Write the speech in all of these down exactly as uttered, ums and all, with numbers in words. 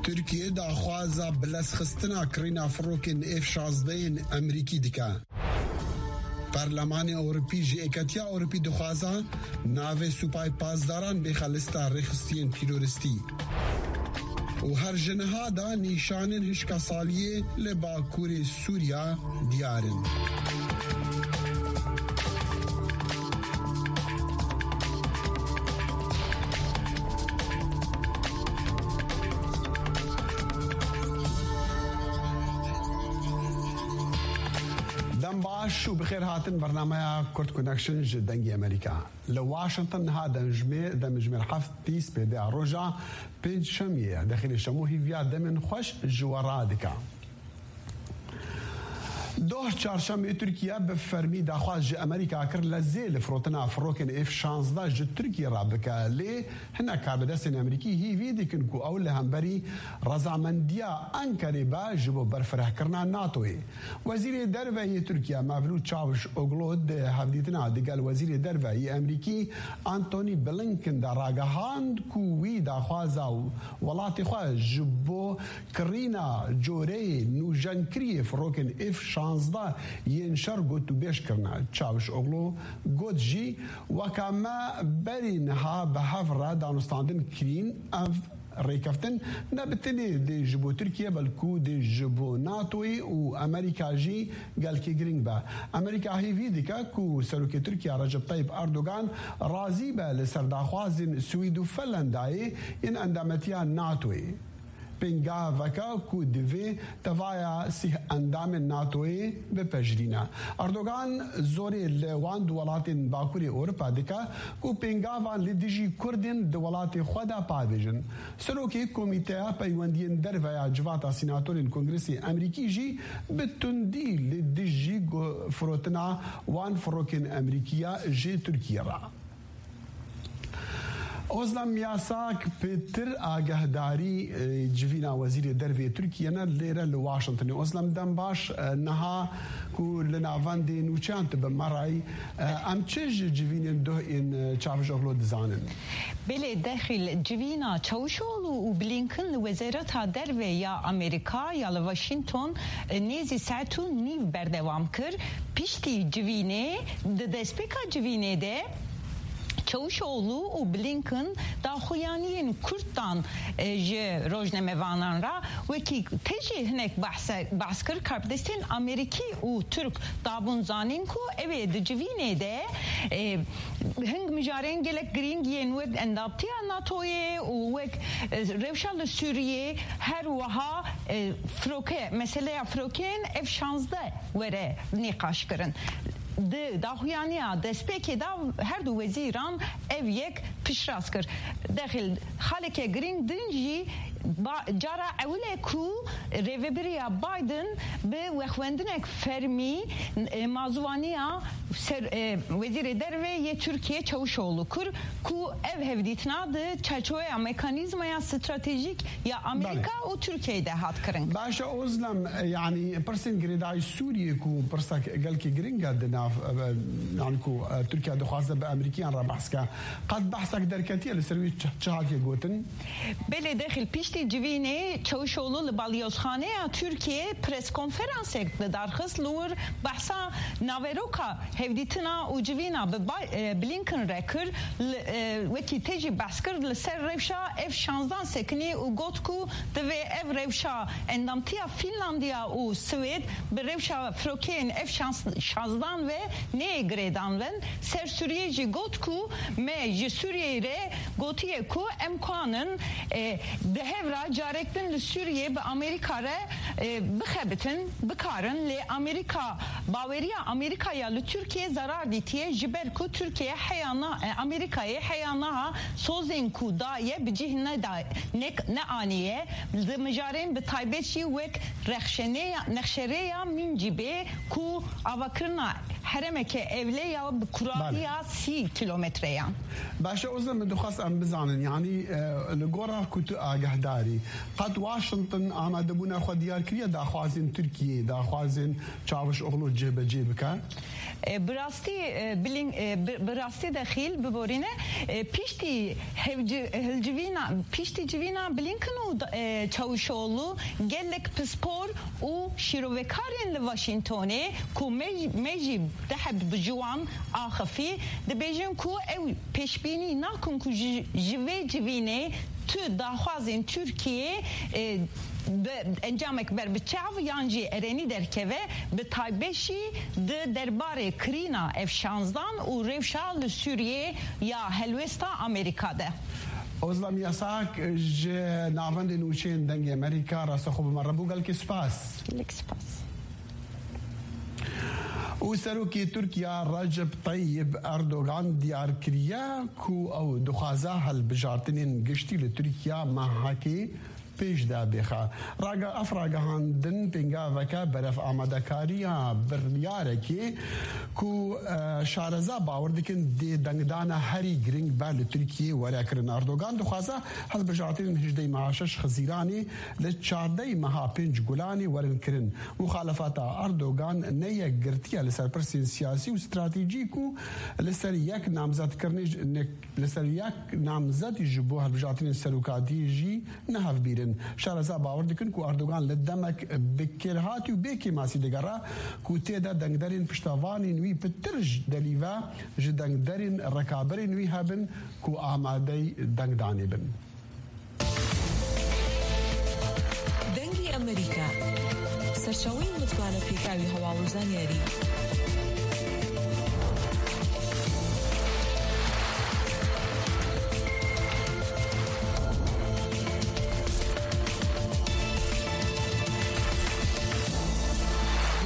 Tirkiye daxwaza bilezxistina kirîna firokên F şazdeh yên Emerîkî dike. Perlemanê Ewropî ji Êketiya Ewropî dixwaza navê Supayê Pasdaran bêxe lista rêxistiyên terorîstî. Û her ji niha de nîşanên hişka saliyê li Bakurê Sûriya diyar in. Dem baş û bi xêr hatin bernameya Kurd Connection ji Dengê Amerîka. Li Washington niha demjimê-, demjimêr heft bîst pê de ya roja pêncşemiyê ye. Dexîlê Şemo hîviya demên xweş ji we radike. Doh çarşemê Tirkiye bi fermî daxwaz ji Amerîka kir lezê li firotina firokên F şazdeh ji Tirkiye re bike. Lê hinek karbidestên Amerîkî hîvî dikin ku ew li hemberî rezamendiya Enkerê be ji bo berfirehkirina NATOyê. Wezîrê Derve yê Tirkiye Mevlût Çavuşoglu di hevdîtina digel Wezîrê Derve yê Amerîkî Antony Blinken de ragihand ku wî daxwaza welatê xwe ji bo kirîna coreyê nûjenkiriyê firokên F şazdeh yên şer gotûbêj kirine. Çavuşoglu got jî, weke me berî niha bi hev re danûstandin kirîn, ev rêkeftin ne bi tenê dê ji bo Tirkiye, belkû dê ji bo NATOyê û Amerîka jî gelkî girîng be. Amerîka hêvî dike ku Serokê Tirkiye Recep Tayyip Erdogan razî be li ser daxwazên Swîd û Finlandayê yên endametiya NATOyê. Pêngaveke ku divê tevaya sîh endamên NATOyê bipejirîne. Erdogan zorê li wan du welatên Bakurê Ewropa dike ku pêngavan li dijî Kurdên di welatê xwe de pavêjin. Serokê Komîteya Peywendiyên Derve ya Civata Sînatorên Kongresê Amerîkî jî bi tundî li dijî gu-, firotina wan firokên Amerîkî ya ji Tirkiyê re. Ozlem Yasak pêtir agahdarî, e, civîna Wezîrê Dervê Tirkiye ne lêre li Washingtonê. Ozlem, dem baş, e, niha ku li navendê nûçeyan tu bi me re yî, e, em çi ji civînên duh ên, e, Çavuşoglu dizanin? Belê, Dexîl, civîna Çavuşoglu û Blinken li Wezareta Derve ya Amerîka ya li Washington, e, nêzî saet û nîv berdewam kir. Piştî civînê, di destpêka civînê de, Çavuşoglu û Blinken daxuyaniyên kurt dan, e, ji rojnamevanan re, wekî te jî hinek behse-, behs kir, karbidestên Amerîkî û Tirk dabûn zanîn ku ew ê di civînê de, e, hing mijarên gelek girîng yên wek endamtiya NATOyê û wek, e, rewşa li Sûriyê, her wiha, e, firoke, meseleya firokeyên F şazdeh were nîqaş kirin. Di daxuyaniya destpêkê de her du wezîran ev yek piştrast kir. Dexîl, xaleke girîng din jî ba-, cara ewil e ku rêvebiriya Biden bi wexwendinek fermî, e, mazûvaniya ser, e, Wezîrê Derve yê Tirkiye Çavuşoglu kir ku ev hevdîtina di çerçoveya mekanîzmaya stratejîk ya Amerîka Belê. û Tirkiyeyê de hat kirin. Baş e, Ozlem, e, yanî pirsên girêdayî Sûriyê ku pirsek gelkî giring e di nav, e, yanî ku, e, Tirkiye dixwaze bi Amerîkiyan re behs ke. Qet behsek derketiye li ser wî çi, çi hatiye gotin? Belê Dexîl, piştî civînê Çavuşoglu li Balyozxaneya Tirkiyê preskonferansek li dar xist, li wir behsa naveroka hevdîtina û civîna bi Bay-, e, Blinken re kir, li, e, wekî te jî behs kir, li ser rewşa F şazdeh sekinî û got ku divê ev rewşa endamtiya Fînlandiya û Swêd bi rewşa firokeyên F şazdeh ve neyê girêdan bin. Ser Sûriyê jî got ku me ji Sûriyeyê re gotiye ku em kanin, e, di hev re carek din li Sûriyê bi Amerîka re, e, bixebitin, bikarin, lê Amerîka, baweriya Amerîka ya li Tirkiye zarar dîtiye, ji ber ku Tirkiye heya na-, e, Amerîkayê heya niha sozên ku daye bi cih neda-, ne-, neaniye, di mijarên bi taybet jî wek rexşeneya-, nexşerêya Mîncîbê ku avakirina herêmeke ewle ya bi kurahiya Bale. sî kilometreyan. Baş e, Roza, min dixwest em bizanin, yanî, e, li gora ku tu agahdarî, qet Washington amadebûna xwe diyar kiriye daxwazên Tirkiyê, daxwazên Çavuşoglu cihbecê bike? E, bi rastî, e, Blin-, e, bi, bi rastî de xîl biborîne, e, piştî hevci-, hilcivîna, piştî civîna Blinken û da-, e, Çavuşoglu gelek pispor û şîrovekarên li Washingtonê ku me, me jî deheb bi ji wan axifî, dibêjin ku ew pêşbînî nakin ku ji, ji vê civînê tu daxwazên Tirkiyê, e, bi encamek ber bi çav yan jî erenî derkeve, bi taybet jî di derbarê kirîna F şanzdan û rewşa li Sûriyê ya helwesta Amerîka de. Ozlem Yasak ji navendên nûçeyên Dengê Amerîka, rastexwe bi me re bû, gelkî spas. Gelek spas. Û Serokê Tirkiya Recep Tayyip Erdogan diyar kiriye ku ew dixwaze hilbijartinên giştî li Tirkiya mehekê pêş de bêxe. Raga-, ev ragihandin pêngaveke berev amadekariya biryareke ku, e, şareza bawer dikin dê dengdana herî girîng be li Tirkiyê were kirin. Erdogan dixwaze hilbijartinên hejdehê meha şeş Xizîranê li çardehê meha pênc Gulanê werin kirin. Muxalefeta Erdogan ne yekgirtiye li ser pirsên siyasî û stratejî ku li ser yek namzetkirinê ji-, ne-, li ser yek namzetî ji bo hilbijartinên serokatiyê jî ne hevbîr in. Şareza bawer dikin ku Erdogan li demek bi kêrhatî û bê kêmasî digere ku tê de dengderên piştevanên wî pitir ji delî ve ji dengderên rekaberên wî hebin ku amadeyî dengdanê bin. دەنگی ئەمریکا، سەرچاوەی متمانە پێکاوی هەواڵ و زانیاری.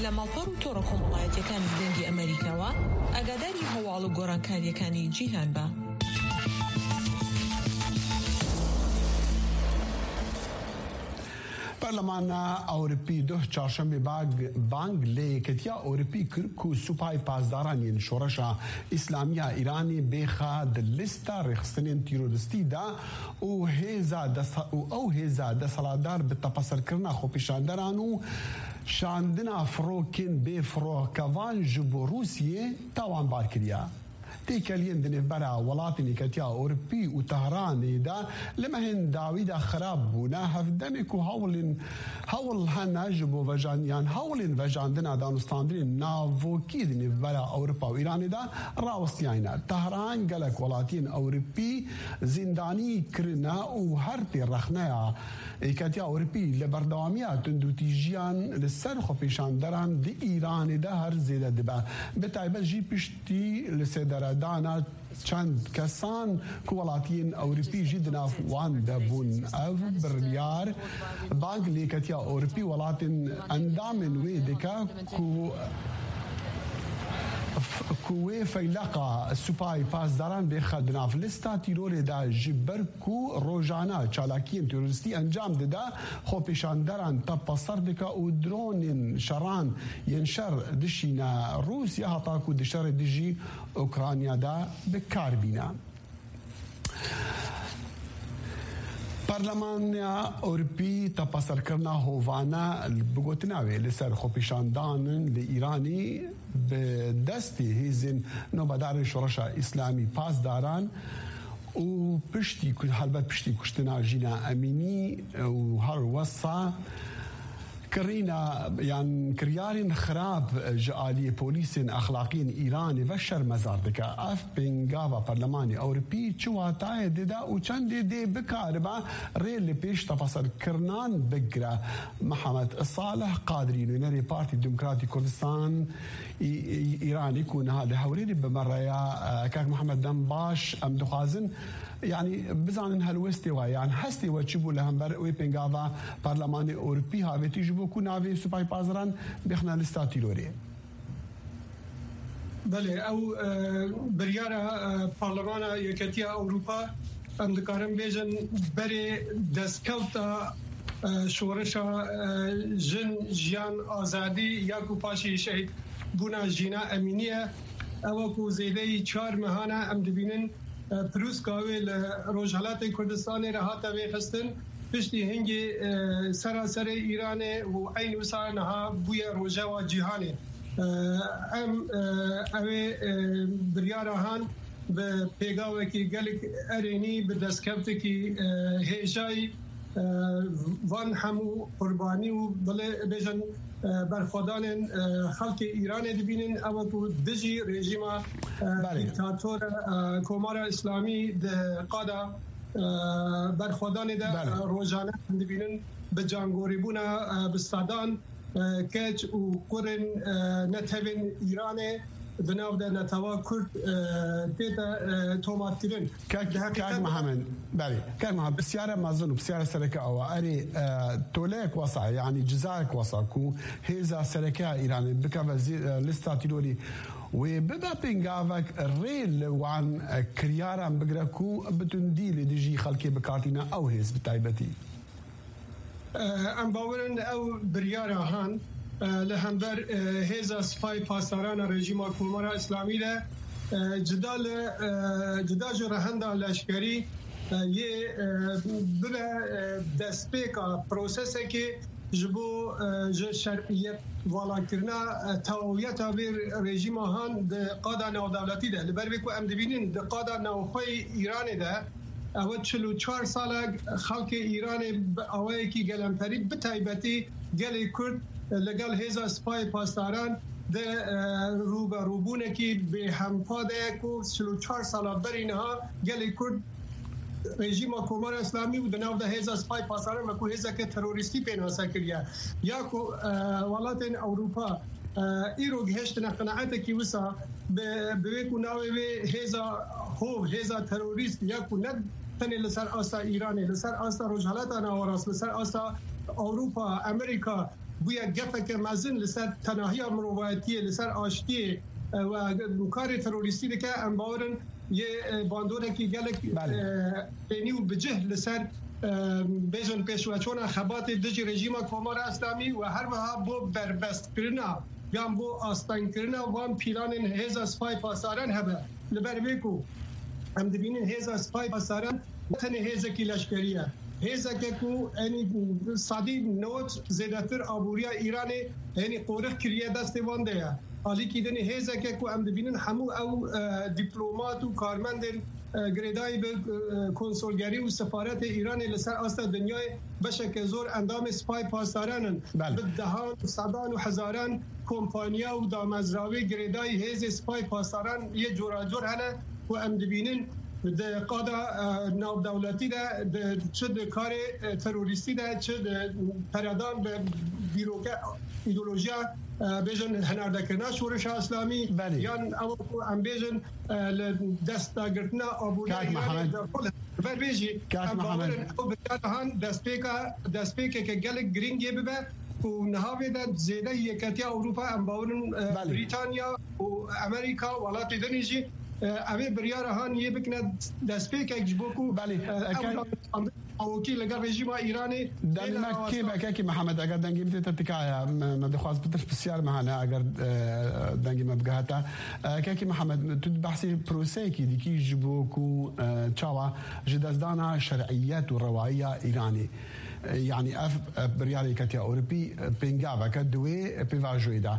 لە ماڵپەڕ و تۆڕە کۆمەڵایەتیەکانی دەنگی ئەمریکاوە ئاگاداری هەواڵ و گۆڕانکاریەکانی جیهان بە. Parlemana Ewropî duh çarşembê bag-, bang lê Yeketiya Ewropî kir ku Supay Pasdaran yên Şoreşa Îslamiya Îranê bêxa di lista rêxistinên teroristî de û hêza desa-, û ew hêza desthilatdar bi tepeserkirina xwepêşanderan û şandina firokên bê firokevan ji bo Rûsiyê tawanbar kiriye. Têkeliyên di nêvbera welatên Yeketiya Ewropî û Tehranê de li mehên dawî de xirab bûne, hevdemê ku hewlên, hewl hene ji bo vejan-, yan hewlên vejandina danûstandinên navokî di nêvbera Ewropa û Îranê de rawestiyayne. Tehran gelek welatiyên Ewropî zîndanî kirine û her tê rexneya Yeketiya Ewropî li berdewamiya tundûtîjiyan li ser xwepêşanderan di Îranê de her zêde dibe. Bi taybet jî piştî li sêderedana çend kesan ku welatiyên Ewropî jî di nav wan de bûn. Ev biryar bang li Yeketiya Ewropî welatên endamên wê dike ku, ku wê feyleqa Supay Pasdaran bêxe di nav lista tîrorê de, ji ber ku rojane çalakiyên terorîstî encam dide, xwepêşanderan tepeser dike û dronên şeran yên şer dişîne Rûsya, heta ku di şerê dijî Ukrayna de bi kar bîne. Parlemana Ewropî tepeserkirina hovane bi gotina wê li ser xwepêşandanin li Îranî bi destê hêzên nobedarên Şoreşa Îslamî Pasdaran û piştî ku, helbet piştî kuştina Jîna Emînî û her wesa kirîna yan kiryarên xirab ji aliyê polîsên exlaqiyên Îranê ve şermezar dike. Ev pêngava Parlemanê Ewropî çi watayê dide û çendê dê bikaribe rê li pêş tepeserkirinan bigire? Mihemed Salih Qadrî, nûnerê Partî Demokratî Kurdistan, Î-, Î-, Îranê ku niha li Hewlêrê bi me re ya, e, kak Mihemed, dem baş. Em dixwazin, yanî, bizanin helwestê we, yan hestê we çi bû li hember wê pêngava Parlemanê Ewropî, havêtî ji bo ku navê Supay Pasdaran bêxine lista tîrorê? Belê, ew, e, biryara, e, Parlemana Yeketiya Ewropa, em dikarin bêjin, berê destkewta, e, şoreşa, e, jin, jiyan, azadî ya ku paşî şehîd bûna Jîna Emînî ye. Ew ku zêdeyî çar mehan e, em dibînin e, pirûska wê li Rojhelatê Kurdistanê re hate vêxistin, piştî hingê, e, seraserê Îranê û eyn wisa niha bûye rojewa cîhanê. E, em, e, ew ê, e, biryara han bi pêgavekî gelek erênî, bi destkeftekî, e, hêjayî, e, van hemû qurbanî û bilê bêjin, e, berxwedanên, e, xelkê Îranê dibînin, ew ku dijî rejîma, e, Belê. dîktatora, e, Komara Îslamî di qada, e, berxwedanê de, Belê. e, rojane dibînin bi cangorîbûna, e, bi sedan, e, keç û kurên, e, netewên Îranê di nav de netewa Kurd, e, tête, e, tomatkirin. Kak, Di heqîqet Kak de Mihemed, belê. Kak Mihemed, pisyara mezin û pisyara sereke awa. Erê, e, toleyek wesa, yanî cizayek wesa ku hêza sereke ya Îranê bikeve zî, e, lista tîrorî wê bibe pêngavek rê li wan, e, kiryaran bigire ku bi tundî li dijî xelkê bikartîne ew hêz bi taybetî. Em bawer in ew biryara han, e, li hember, e, hêza Sipayê Pasdaran a rejîma Komara Îslamî de, e, cida li, e, cida ji rehenda leşkerî, e, yê, e, bibe, e, destpêka prosesekê ji bo, e, ji şer'iyet valakirina, e, tewawiyeta vê rejîma han di qada navdewletî de. Li ber vê ku em dibînin di qada navxweyî Îranê de, Ew çil û çar sal e xelkê Îranê bi awayekî gelemperî, bi taybetî gelê Kurd, li gel hêza Sipayê Pasdaran di, e, rûberûbûnekî bêhempa de ye ku çil û çar sala berî niha gelê Kurd rejîma Komara Îslamî û di nav de hêza Sipayê Pasdaran wekû hêzeke terorîstî pênase kiriye. Ya ku, e, welatên Ewropa, e, îro gihiştine qenaetekî wisa, bi, bi wê ku navê wê hêza hov, hêza terorîst ya ku ne tenê li ser asta Îranê, li ser asta Rojhelata Nawerast, li ser asta Ewropa, Amerîka bûye gefeke mezin li ser tenahiya mirovayetiyê, li ser aştiyê, e, we karê terorîstî dike, em bawer in yê, e, bandoreke gelek, Belê. e, pênî û bi cih li ser, e, bêjin pêşveçûna xebatê dijî rejîma Komara Îslamî û her wiha bo berbestkirina yan bo astengkirina van pîlanên hêza Sipayê Pasdaran hebe. Li ber vê ku em dibînin hêza Sipayê Pasdaran ne tenê hêzekî leşkerî ye. Hêzeke ku enî sedî newid zêdetir aboriya Îranê enî qorix kiriye destê van de ye. Alîkî dinê hêzeke ku em dibînin hemû ew, e, dîplomat û karmendên, e, girêdayî bi, e, konsolgerî û sefaretê Îranê li ser asta dinyayê beşeke zor endamê Sipayê Pasdaran in. Belê. Bi dehan, sedan û hezaran kompanya û damezrawê girêdayî hêzê Sipayê Pasdaran yê coracor hene ku em dibînin di qada, e, navdewletî de, di, çi di karê, e, terorîstî de, çi di peredan bi dîroke, îdeolojiya, e, bêjin hinardekirina şorişa Îslamî, Belê. yan ew ku em bêjin, e, li destdagirtina aboriya Kak Îranê Mihemed. de xwe li ver bê jî Kak em bawer Mihemed. in ew biryara han destpêka, destpêkeke gelek girîng yê bibe ku niha vê de zêde yeketiya Ewropa em bawer in, e, Belê. Brîtanya û Amerîka, welatê dinê jî, e, ev ê biryara han yê bikine destpêkek ji bo ku, Belê. e, ew Eke- awokî li gel rejîma Îranê Demê têne me kêm rawestan. e, Kekî Mihemed, eger dengê min tê te tikaya, me, me dixwaz pitir pisyar me hene, eger, e, dengê me bigehete. E, Kekî Mihemed, tu behsê proseyekî dikî ji bo ku, e, çawa ji destdana şer'iyet û rewayiya Îranê, e, yanî ev, e, biryarê Yeketiya Ewropî, e, pêngaveke di wê pêvajoyê de.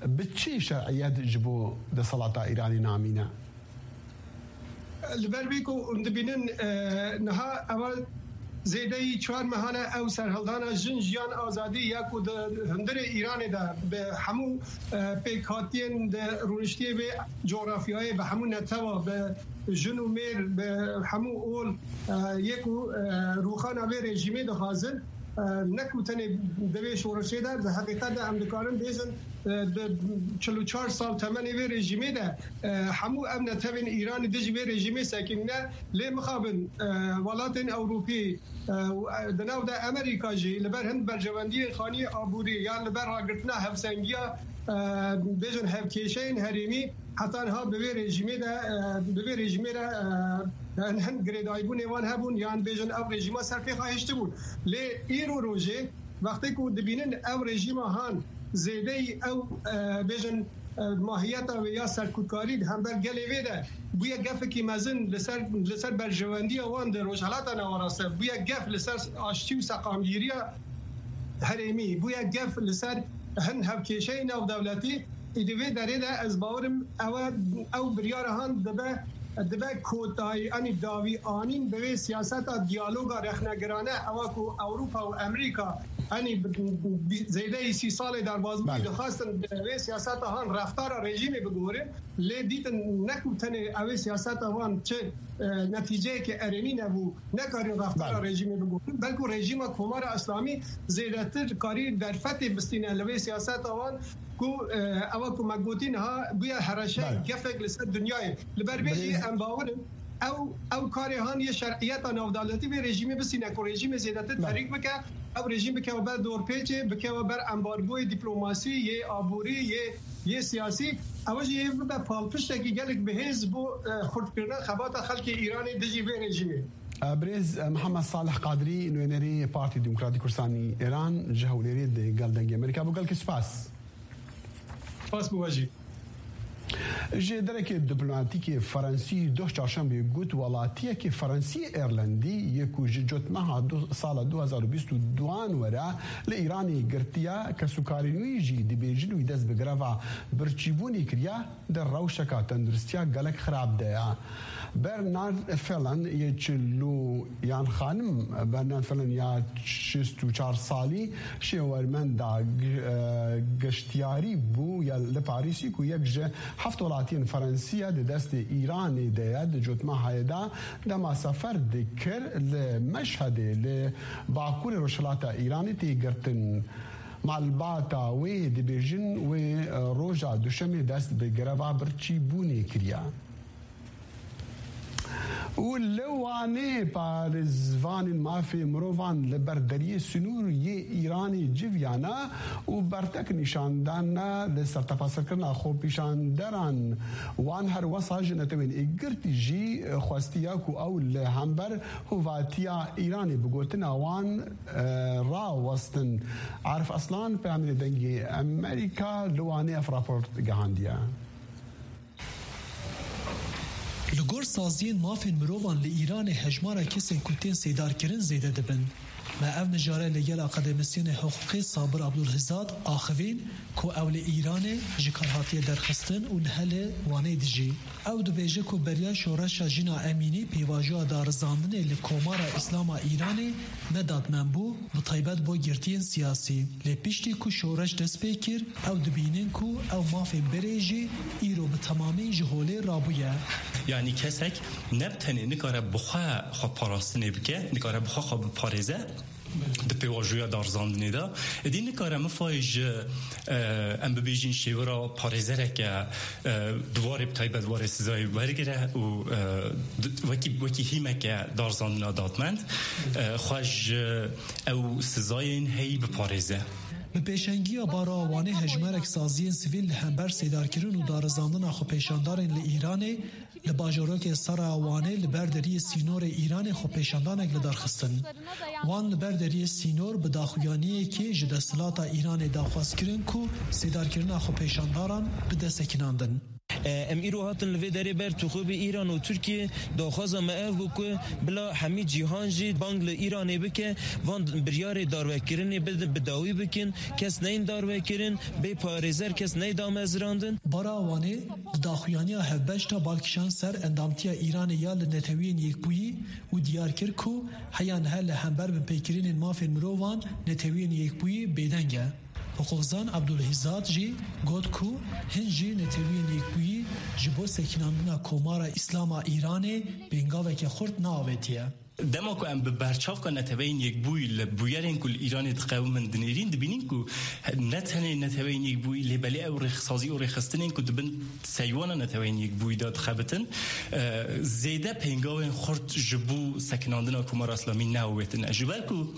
Bi çi şer'iyet ji bo desthilata Îranê namîne? Li ber vê ku hûn dibînin, e, niha ewa zêdeyî çar mehan e ew serhildana jin, jiyan, azadî ya ku di hundirê Îranê de bi hemû, e, pêkhatiyên di rûniştiyê vê cografyayê, bi hemû netewa, bi jin û mêr, bi hemû ol, e, yê ku, e, rûxana vê rejîmê dixwazin, e, ne ku tenê di vê şorişê de, di heqîqet de em dikarin bêjin, e, di çil û çar sal temenê vê rejîmê de, e, hemû ev netewên Îranî dijî vê rejîmê sekinîne, lê mixabin, e, welatên Ewropî, e, û, e, di nav de Amerîka jî li ber hin berjewendiyên xaniyê aborî yan li ber ragirtina hevsengiya, e, bêjin hevkêşeyên herêmî, heta niha bi vê rejîmê de, e, bi vê rejîmê re, e, hin, hin girêdayîbûnê wan hebûn, yan bêjin ev rejîma ser pêxa hiştibûn. Lê îro rojê, wextê ku dibînin ev rejîma han zêdeyî ew, e, bêjin, e, mahiyeta wê ya serkutkarî di hember gelê vê de bûye gefekî mezin li ser, li ser berjewendiya wan di Rojhelata Navaraste, bûye gef li ser aştî û seqamgîriya herêmî, bûye gef li ser hin hevkêşeyê navdewletî. Ê di vê derê de ez bawerim ew e, ew biryara han dibe, dibe kotayî, anî dawî anîn bi vê siyaseta diyaloga rexnegirane, ewa ku Ewropa û Amerîka, anî bi, bi, zêdeyî sî salê derbazbûyî Belê. dixwestin bi vê siyaseta han reftara rejîmê bigurin, lê dîtin ne ku tenê ew ê siyaseta wan çi, e, netîceyeke erênî nebû, nekarîn reftara Belê. rejîmê bigurin, belku rejîma Komara Îslamî zêdetir karî derfetê bistîne li vê siyaseta wan ku, e, ewa ku me gotî niha bûye hereşe Belê. gefek li ser dinyayê. Li ber vê jî Birêz- em bawer in ew, ew karê han yê şer'iyeta navdewletî vê rejîmê bistîne ku rejîmê zêdetir Belê. terîk bike, ew rejîm bikewe ber dorpêçê, bikewe ber embargoyê dîplomasî, yê aborî, yê, yê siyasî. Ew jî yê bibe palpiştekî gelek bihêz bo, e, xurtkirina xebata xelkê Îranê dijî vê rejîmê. Birêz, e, Mihemed Salih Qadirî, nûnerê Partî Demokratî Kurdistanî Îran, ji Hewlêrê di gel Dengê Amerîka bû. Gelkî spas. Spas bo we jî. Ji derekê diplomatîkê Ferensî doh çarşembê got, welatiyekê Ferensî Îrlandî yê ku ji cotmeha du, sala du hezar û bîst û duan were li Îranê girtiye, kesûkarên wî jî dibêjin wî dest bi greva birçîbûnê kiriye, di rewşeka tenduristiya gelek xirab de ye. Bernard Fellon yê çil û yan xanim, Bernard Fellon ya şêst û çar salî şêwermenda g-, e, geştiyarî bû ya li Parîsî ku yek ji heft welatiyên Ferensî ye di destê Îranê de ye. Di cotmehayê de dema sefer dikir li Meşhedê li bakurê rojhilata Îranê tê girtin. Malbata wê dibêjin wê, e, roja duşemê dest bi greva birçîbûnê kiriye. Û li Wanê parêzvanên mafê mirovan li ber deriyê sînor yê Îranê civiyane û bertek nîşan dane li sertepasirkirina xwepêşanderan. Wan her wesa ji Netewên Êkgirtî jî xwestiye ku ew li hember hovatiya Îranê bi gotina wan, e, rawestin. Arif Aslan, peyamê Dengê Amerîka li Wanê ev rapor gihandiye. Li gor saziyên mafên mirovan li Îranê hejmara kesên ku tên sêdarkirin zêde dibin. Me ev mijare li gel akademisyenê hiqûqê Sabir Abdulhizad axivîn ku ew li Îranê ji kar hatiye derxistin û nihe li Wanê dijî. Ew dibêje ku beriya şoreşa Jina Emînî pêvajoya darizandinê li Komara Îslam a Îranê ne dadmen bû, bi taybet bo girtiyên siyasî. Lê piştî ku şoreş dest pê kir, ew dibînin ku ew mafên berê jî îro bi temamî ji holê rabûye. Yanî kesek ne bi tenê nikare bi xwe xwe parastinê bike, nikare bi xwe xwe biparêze di pêvajoya darizandinê de. Êdî nikare mifayê ji, e, em bibêjin şêwira parêzereke, e, di warê bi taybet warê sizayê wergire û, e, di, wekî, wekî hîmeke darizandina dadmend, e, xwe ji ew sizayên heyî biparêze. Bi pêşengiya Baroya Wanê hejmarek saziyên sivîl li hember sêdarkirin û darizandina xwepêşandarên li Îranê li bajorokê Sera Wanê li ber deriyê sînorê Îranê xwepêşandanek li dar xistin. Wan li ber deriyê sînor bi daxuyaniyekê ji desthilata Îranê daxwaz kirin ku sêdarkirina xwepêşandaran bide sekinandin. E, em îro hatin li vê derê ber tixûbê Îran û Tirkiye daxwaza me ev bû ku bila hemî cîhan jî bang li Îranê bike, van biryarê darvekirinê bi, bi dawî bikin, kes neyên darvekirin, bê parêzer kes ney damezirandin. Bara Wanê di daxuyaniya hevbeş de bal kişand ser endamtiya Îranê ya li Netewiyên Yekbûyî û diyar kir ku heya niha li hember binpêkirinên mafên mirovan Netewiyên Yekbûyî bêdeng e. Hiqûqzan Abdulhizad jî got ku hin jî Netewiyên Yekbûyî ji bo sekinandina Komara Îslam a Îranê pêngaveke xurt neavêtiye. Dema ku em bi berçavka Neteweyên Yekbûyî li bûyerên ku li Îranê diqewimin dinêrîn, dibînin ku ne tenê Neteweyên Yekbûyî, lê belê ew rêksazî û rêxistinên ku di bin seywana Neteweyên Yekbûyî de dixebitin, e, zêde pêngavên xurt ji bo sekinandina Komara Îslamî neawêtine. Ji ber ku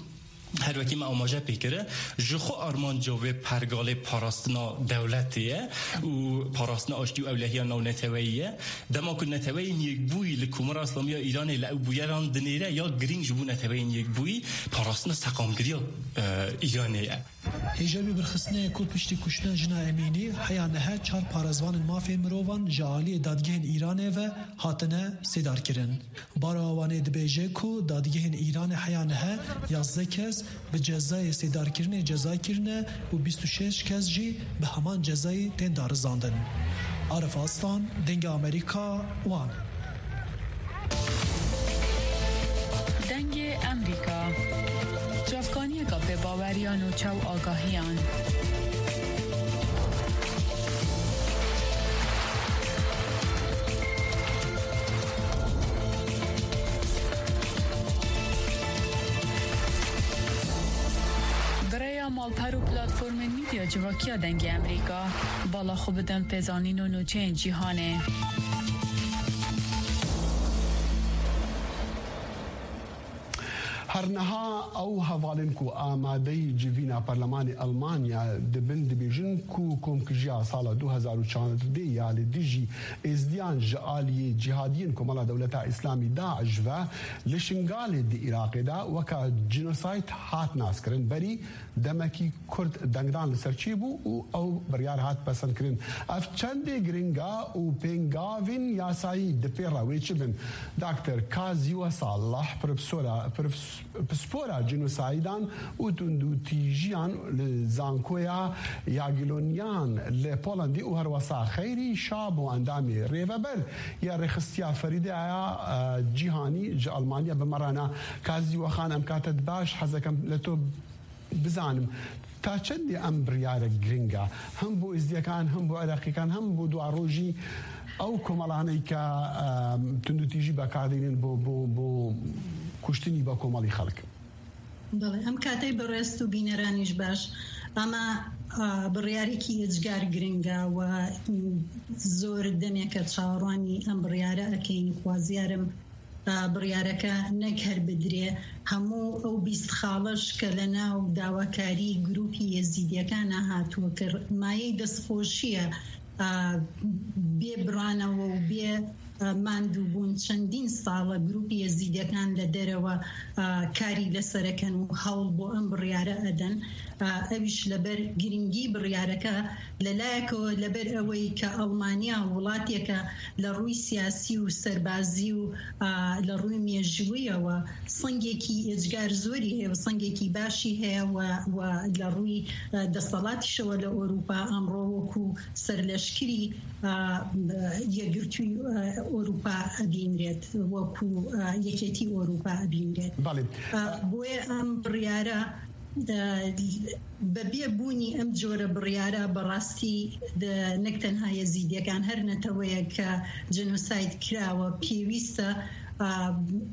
Her wekî me amaje pê kir, ji xwe armanca vê pergalê parastina dewletê ye û parastina aştî û ewlehiya navneteweyî ye. Dema ku neteweyên yekbûyî li Komara Îslamî ya Îranê li ew bûyeran dinêre, ya girîng ji bo neteweyên yekbûyî parastina seqamgiriya, e, Îranê ye. Hêja wî birxistinê ye ku piştî kuştina jina Emînî heya nihe çar parêzvanên mafê mirovan ji aliyê dadgehên Îranê ve hatine sêdarkirin. Baro Awanê dibêje ku dadgehên Îranê heya nihe yazdeh kes bi cezayê sêdarkirinê ceza kirine û bîst û şeş kes jî bi heman cezayê tên darizandin. Arif Aslan, Dengê Amerîka, Wan. Dengê Amerîka. Çavkaniyeka pê baweriya nûçe û agahiyan. Bi rêya malper û platformên medya civakî ya Dengê Amerîka, bala xwe bidin pêzanîn û nûçeyên cîhanê. Her niha ew hevalên ku amadeyî civîna Perlemanê Elmanya dibin, dibêjin ku komkujiya sala du hezar û çardeh ya li dijî Êzdiyan ji aliyê cîhadiyên Komela Dewleta Îslamî, DAIŞ, ve li Şingalê di Iraqê de weka cînosayd hat naskirin. Berî demekî Kurd dengdan li ser çêbû û ew biryar hat pesendkirin. Ev çendê giring e û pêngavên yasayî di pê re wê çi bin? Doktor Kazî Wesallah, profesora, profes-, pispora cînosaydan û tundûtîjiyan li Zankoya Yagiloniyan li Polandê û herwesa Xeyrî Şabo, endamê Rêveber ya Rêxistiya Ferîdeya, e, Cîhanî ji Almanya, bi me re ne. Kazî Wexan, em kate di baş, hezekem li to bizanim, ta çendê em biryarek giring e, hem bo Êzdiyekan, hem bo Iraqîkan, hem bo duarojî ew komelaneyke, em, tundûtîjî bekardînin bo, bo, bo kuştinî be komelî xelk? بەڵێ، ئەم کاتەی بەڕێز و بینەرانیش باش، ئەمە، ئا، بڕیارێکی ئێجگار گرنگە و زۆر دەمێکە چاوەڕوانی ئەم بڕیارە ئەکەین. خوازیارم، ئا، بڕیارەکە نەک هەر بدرێ، هەموو ئەو بیست خاڵەش کە لە ناو داواکاری گروپی یەزیدیەکانە هاتووە، کە مایەی دەستخۆشیە، ئا، بێ بڕانەوە و بێ، ئا، ماندووبوون. چەندین ساڵە گروپی یەزیدیەکان لە دەرەوە، ئا، کاری لەسەرەکەن و هەوڵ بۆ ئەم بڕیارە ئەدەن. ئا، ئەویش لەبەر گرنگی بڕیارەکە، لە لایەکەوە لەبەر ئەوەی کە ئەڵمانیا وڵاتێکە لە ڕووی سیاسی و سەربازی و، ئا، لە ڕووی مێژوویەوە سەنگێکی ئێجگار زۆری هەیە و سەنگێکی باشی هەیە و، و لە ڕووی، ئا، دەسەڵاتیشەوە لە ئەوروپا ئەمڕۆ وەکو سەرلەشکری، ئا، یەکگرتووی، ئا، ئەوروپا ئەبینرێت، وەکو، ئا، یەکێتی ئەوروپا ئەبینرێت. بەڵێ. ئا، بۆیە ئەم بڕیارە، ئا، بەبێ بوونی ئەم جۆرە بڕیارە بەڕاستی دە-، نەک تەنها یەزیدیەکان، هەر نەتەوەیەک کە جنۆساید کراوە، پێویستە، ئا،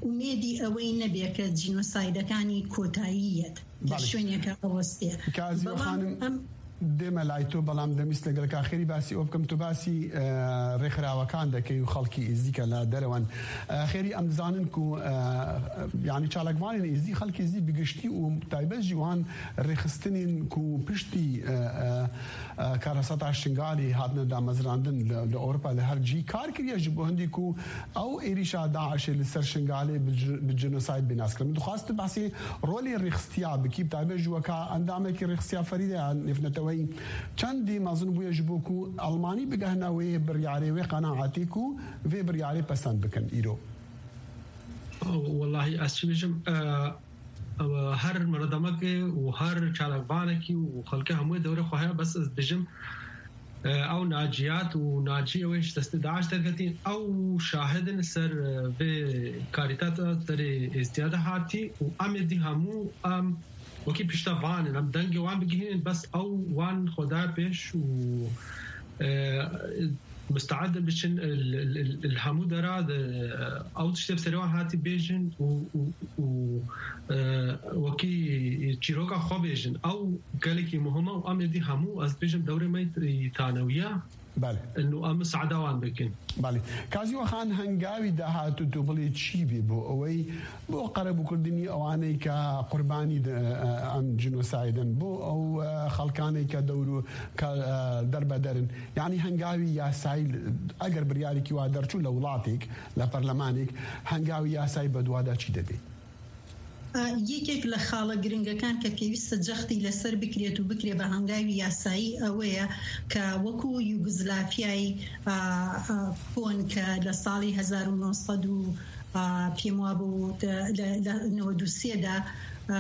ئومێدی ئەوەی نەبێ کە جینۆسایدەکانی کۆتایی یەت، لە بەڵێ. شوێنێکە ئەوەستێ. کازیۆ بەڵام خانم، ئەم دێمە لای تۆ، بەڵام دەمویست لەگەڵ کاخێری باسی ئەوە بکەم. تۆ باسی، ئە، ڕێکخراوەکان دەکەی و خەڵکی ئێزدیکە لە دەرەوەن. ئە، خێری ئەم دەزانن کو، ئە، یعنی چالاکوانین ئێزدی، خەڵکی ئێزدی بگشتی و تایبەت جی وان ڕێخستنین کو پشتی، ئە، ئە، ئە، کارەساتا شنگالی هاتنە دامەزراندن لە، لە ئەوروپا لە هەر جی کار کریە جی بۆ هەندی کو ئەو ئێریشا داعشێ لەسەر شنگالێ بە ج-، بە جنۆساید بێ ناسکردن. من دخواست باسی ڕۆلی ڕیخستیا بکی، بە تایبەت ji weka endamekî ڕیخستیا ferîde ya nêvneteweyî. Çendî mezin bûye ji bo ku Almanî bigehne wê biryarê, wê qenaetê ku vê biryarê pesend bikin îro. Wellahî ez çi bêjim, e, e, her mirademekê û her çalakvanekî û xelkê hemûyê dewrê xwe heye, bes ez dibêjim, e, ew naciyat û naciyê wê ji destê DAIŞ derketî, ew şahid in ser, e, vê karîta te derê êzdiya de hatî û em êdî hemû em wekî pişta van in, em dengê wan bigihînin, bes ew wan xwe da pêş û, e, musteed in biçin, e, li, li, li hemû dera de, e, ew tiştê bi serê wan hatî bêjin û, û, û, e, wekî çîroka xwe bêjin. Ew gelekî muhim e û em êdî hemû, ez dibêjim, dewrê me yî tanewiya, بەڵێ. ئەنو ئەم سەعدا وان بکەن. بەڵێ. کازی وەخان هەنگاوی داهاتوو تو بڵێ چی بێ بۆ ئەوەی بۆ قەرەبووکردنی ئەوانەی کە قوربانی دە-، ئەم جینۆسایدن، بۆ ئەو، ئە، خەڵکانەی کە دەور و کە، ئە، دەربەدەرن. یعنی هەنگاوی یاسایی ئەگەر بریارێکی وا دەرچوو لە وڵاتێک، لە پەرلەمانێک، هەنگاوی یاسایی بەدوادا چی دەبێ؟ ئە، یەکێک لە خاڵە گرنگەکان کە پێویستە جەختی لەسەر بکرێت و بکرێ بە هەنگاوی یاسایی ئەوەیە کە وەکو یوگزلافیای، ئە، ئە، کۆن کە لە ساڵی هەزار و نۆ سەد و، ئە، پێم وابوو، لە، لە نەوەد و سێ دا، ئە،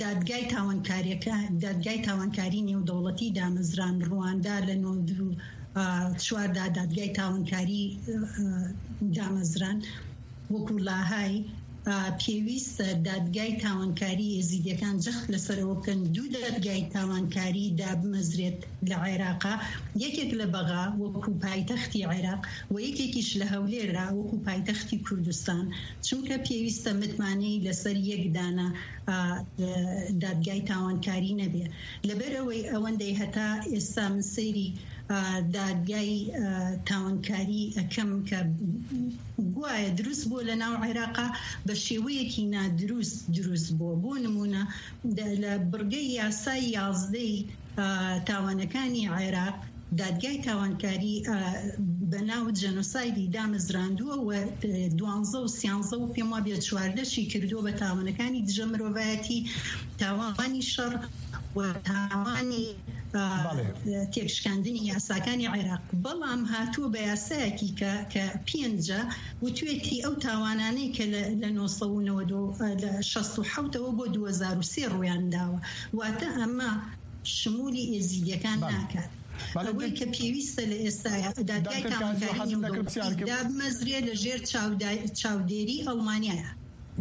دادگای تاوانکاریەکە، دادگای تاوانکاری نێودەوڵەتی دامەزران. ڕواندا لە نەوەد و چوار دا دادگای تاوانکاری، ئە، دامەزران. وەکو لاهای، ئە، پێویستە دادگای تاوانکاری ئێزیدیەکان جەخت لەسەر ئەوە بکەن دوو دادگای تاوانکاری دابمەزرێت لە عێراقا، یەکێک لە بەغا وەکو پایتەختی عێراق و یەکێکیش لە هەولێرا وەکو پایتەختی کوردستان، چونکە پێویستە متمانەی لەسەر یەک دانە، ئە، دادگای تاوانکاری نەبێ. لەبەر ئەوەی ئەوەندەی هەتا ئێستا من سەیری، ئە، دادگای، ئە، تاوانکاری ئەکەم کە گوایە دروست بووە لە ناو عێراقا، بە شێوەیەکی نادروست دروست بووە. بۆ نمونە، دە-، لە بڕگەی یاسای یازدەی، ئە، تاوانەکانی عێراق، دادگای تاوانکاری، ئە، بە ناو جەنۆسایدی دامەزراندووە و، ئە، دوانزە و سیانزە و پێم وابێت چواردەشی کردووە بە تاوانەکانی دژە مرۆڤایەتی، تاوانی شەڕ و تاوانی، ئە، بەڵێ. تێکشکاندنی یاساکانی عێراق. بەڵام هاتووە بە یاسایەکی کە، کە پێنجە وتوێتی ئەو تاوانانەی کە لە، لە نۆ سەد و نەوەد و، ئە، لە شەست و حەوتەوە بۆ دوو هەزار و سێ ڕوویان داوە. واتە ئەمە شمولی ئێزیدیەکان بەڵێ. ناکات. بەڵێ، ئەوەی دە- کە پێویستە لە ئێستایا، دادگای دکتۆر کازی تاوانکاری حەسەن دەکرد پرسیار کرد. دابمەزرێ لە ژێر چاودای-، چاودێری ئەڵمانیایە.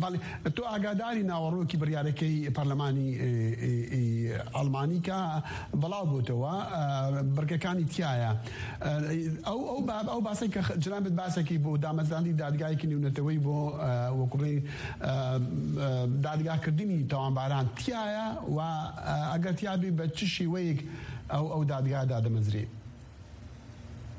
بەڵێ، تۆ ئاگاداری ناوەڕۆکی بڕیارەکەی پەرلەمانی، ئێ، ئێ، ئێ، ئەڵمانی کە بەڵاو بۆتەوە، ئە، بڕگەکانی تیایە. ئە، ئەو، ئەو باب-، ئەو باسەی کە خ-، جنابت باسەکی بۆ دامەزراندی دادگایەکی نێونەتەوەی بۆ، ئە، وەکوڕێ، ئە، ئە، دادگاکردنی تاوانباران تیایە و، ئە، ئەگەر تیابێ بە چ شێوەیەک ئەو، ئەو دادگا دادەمەزرێ؟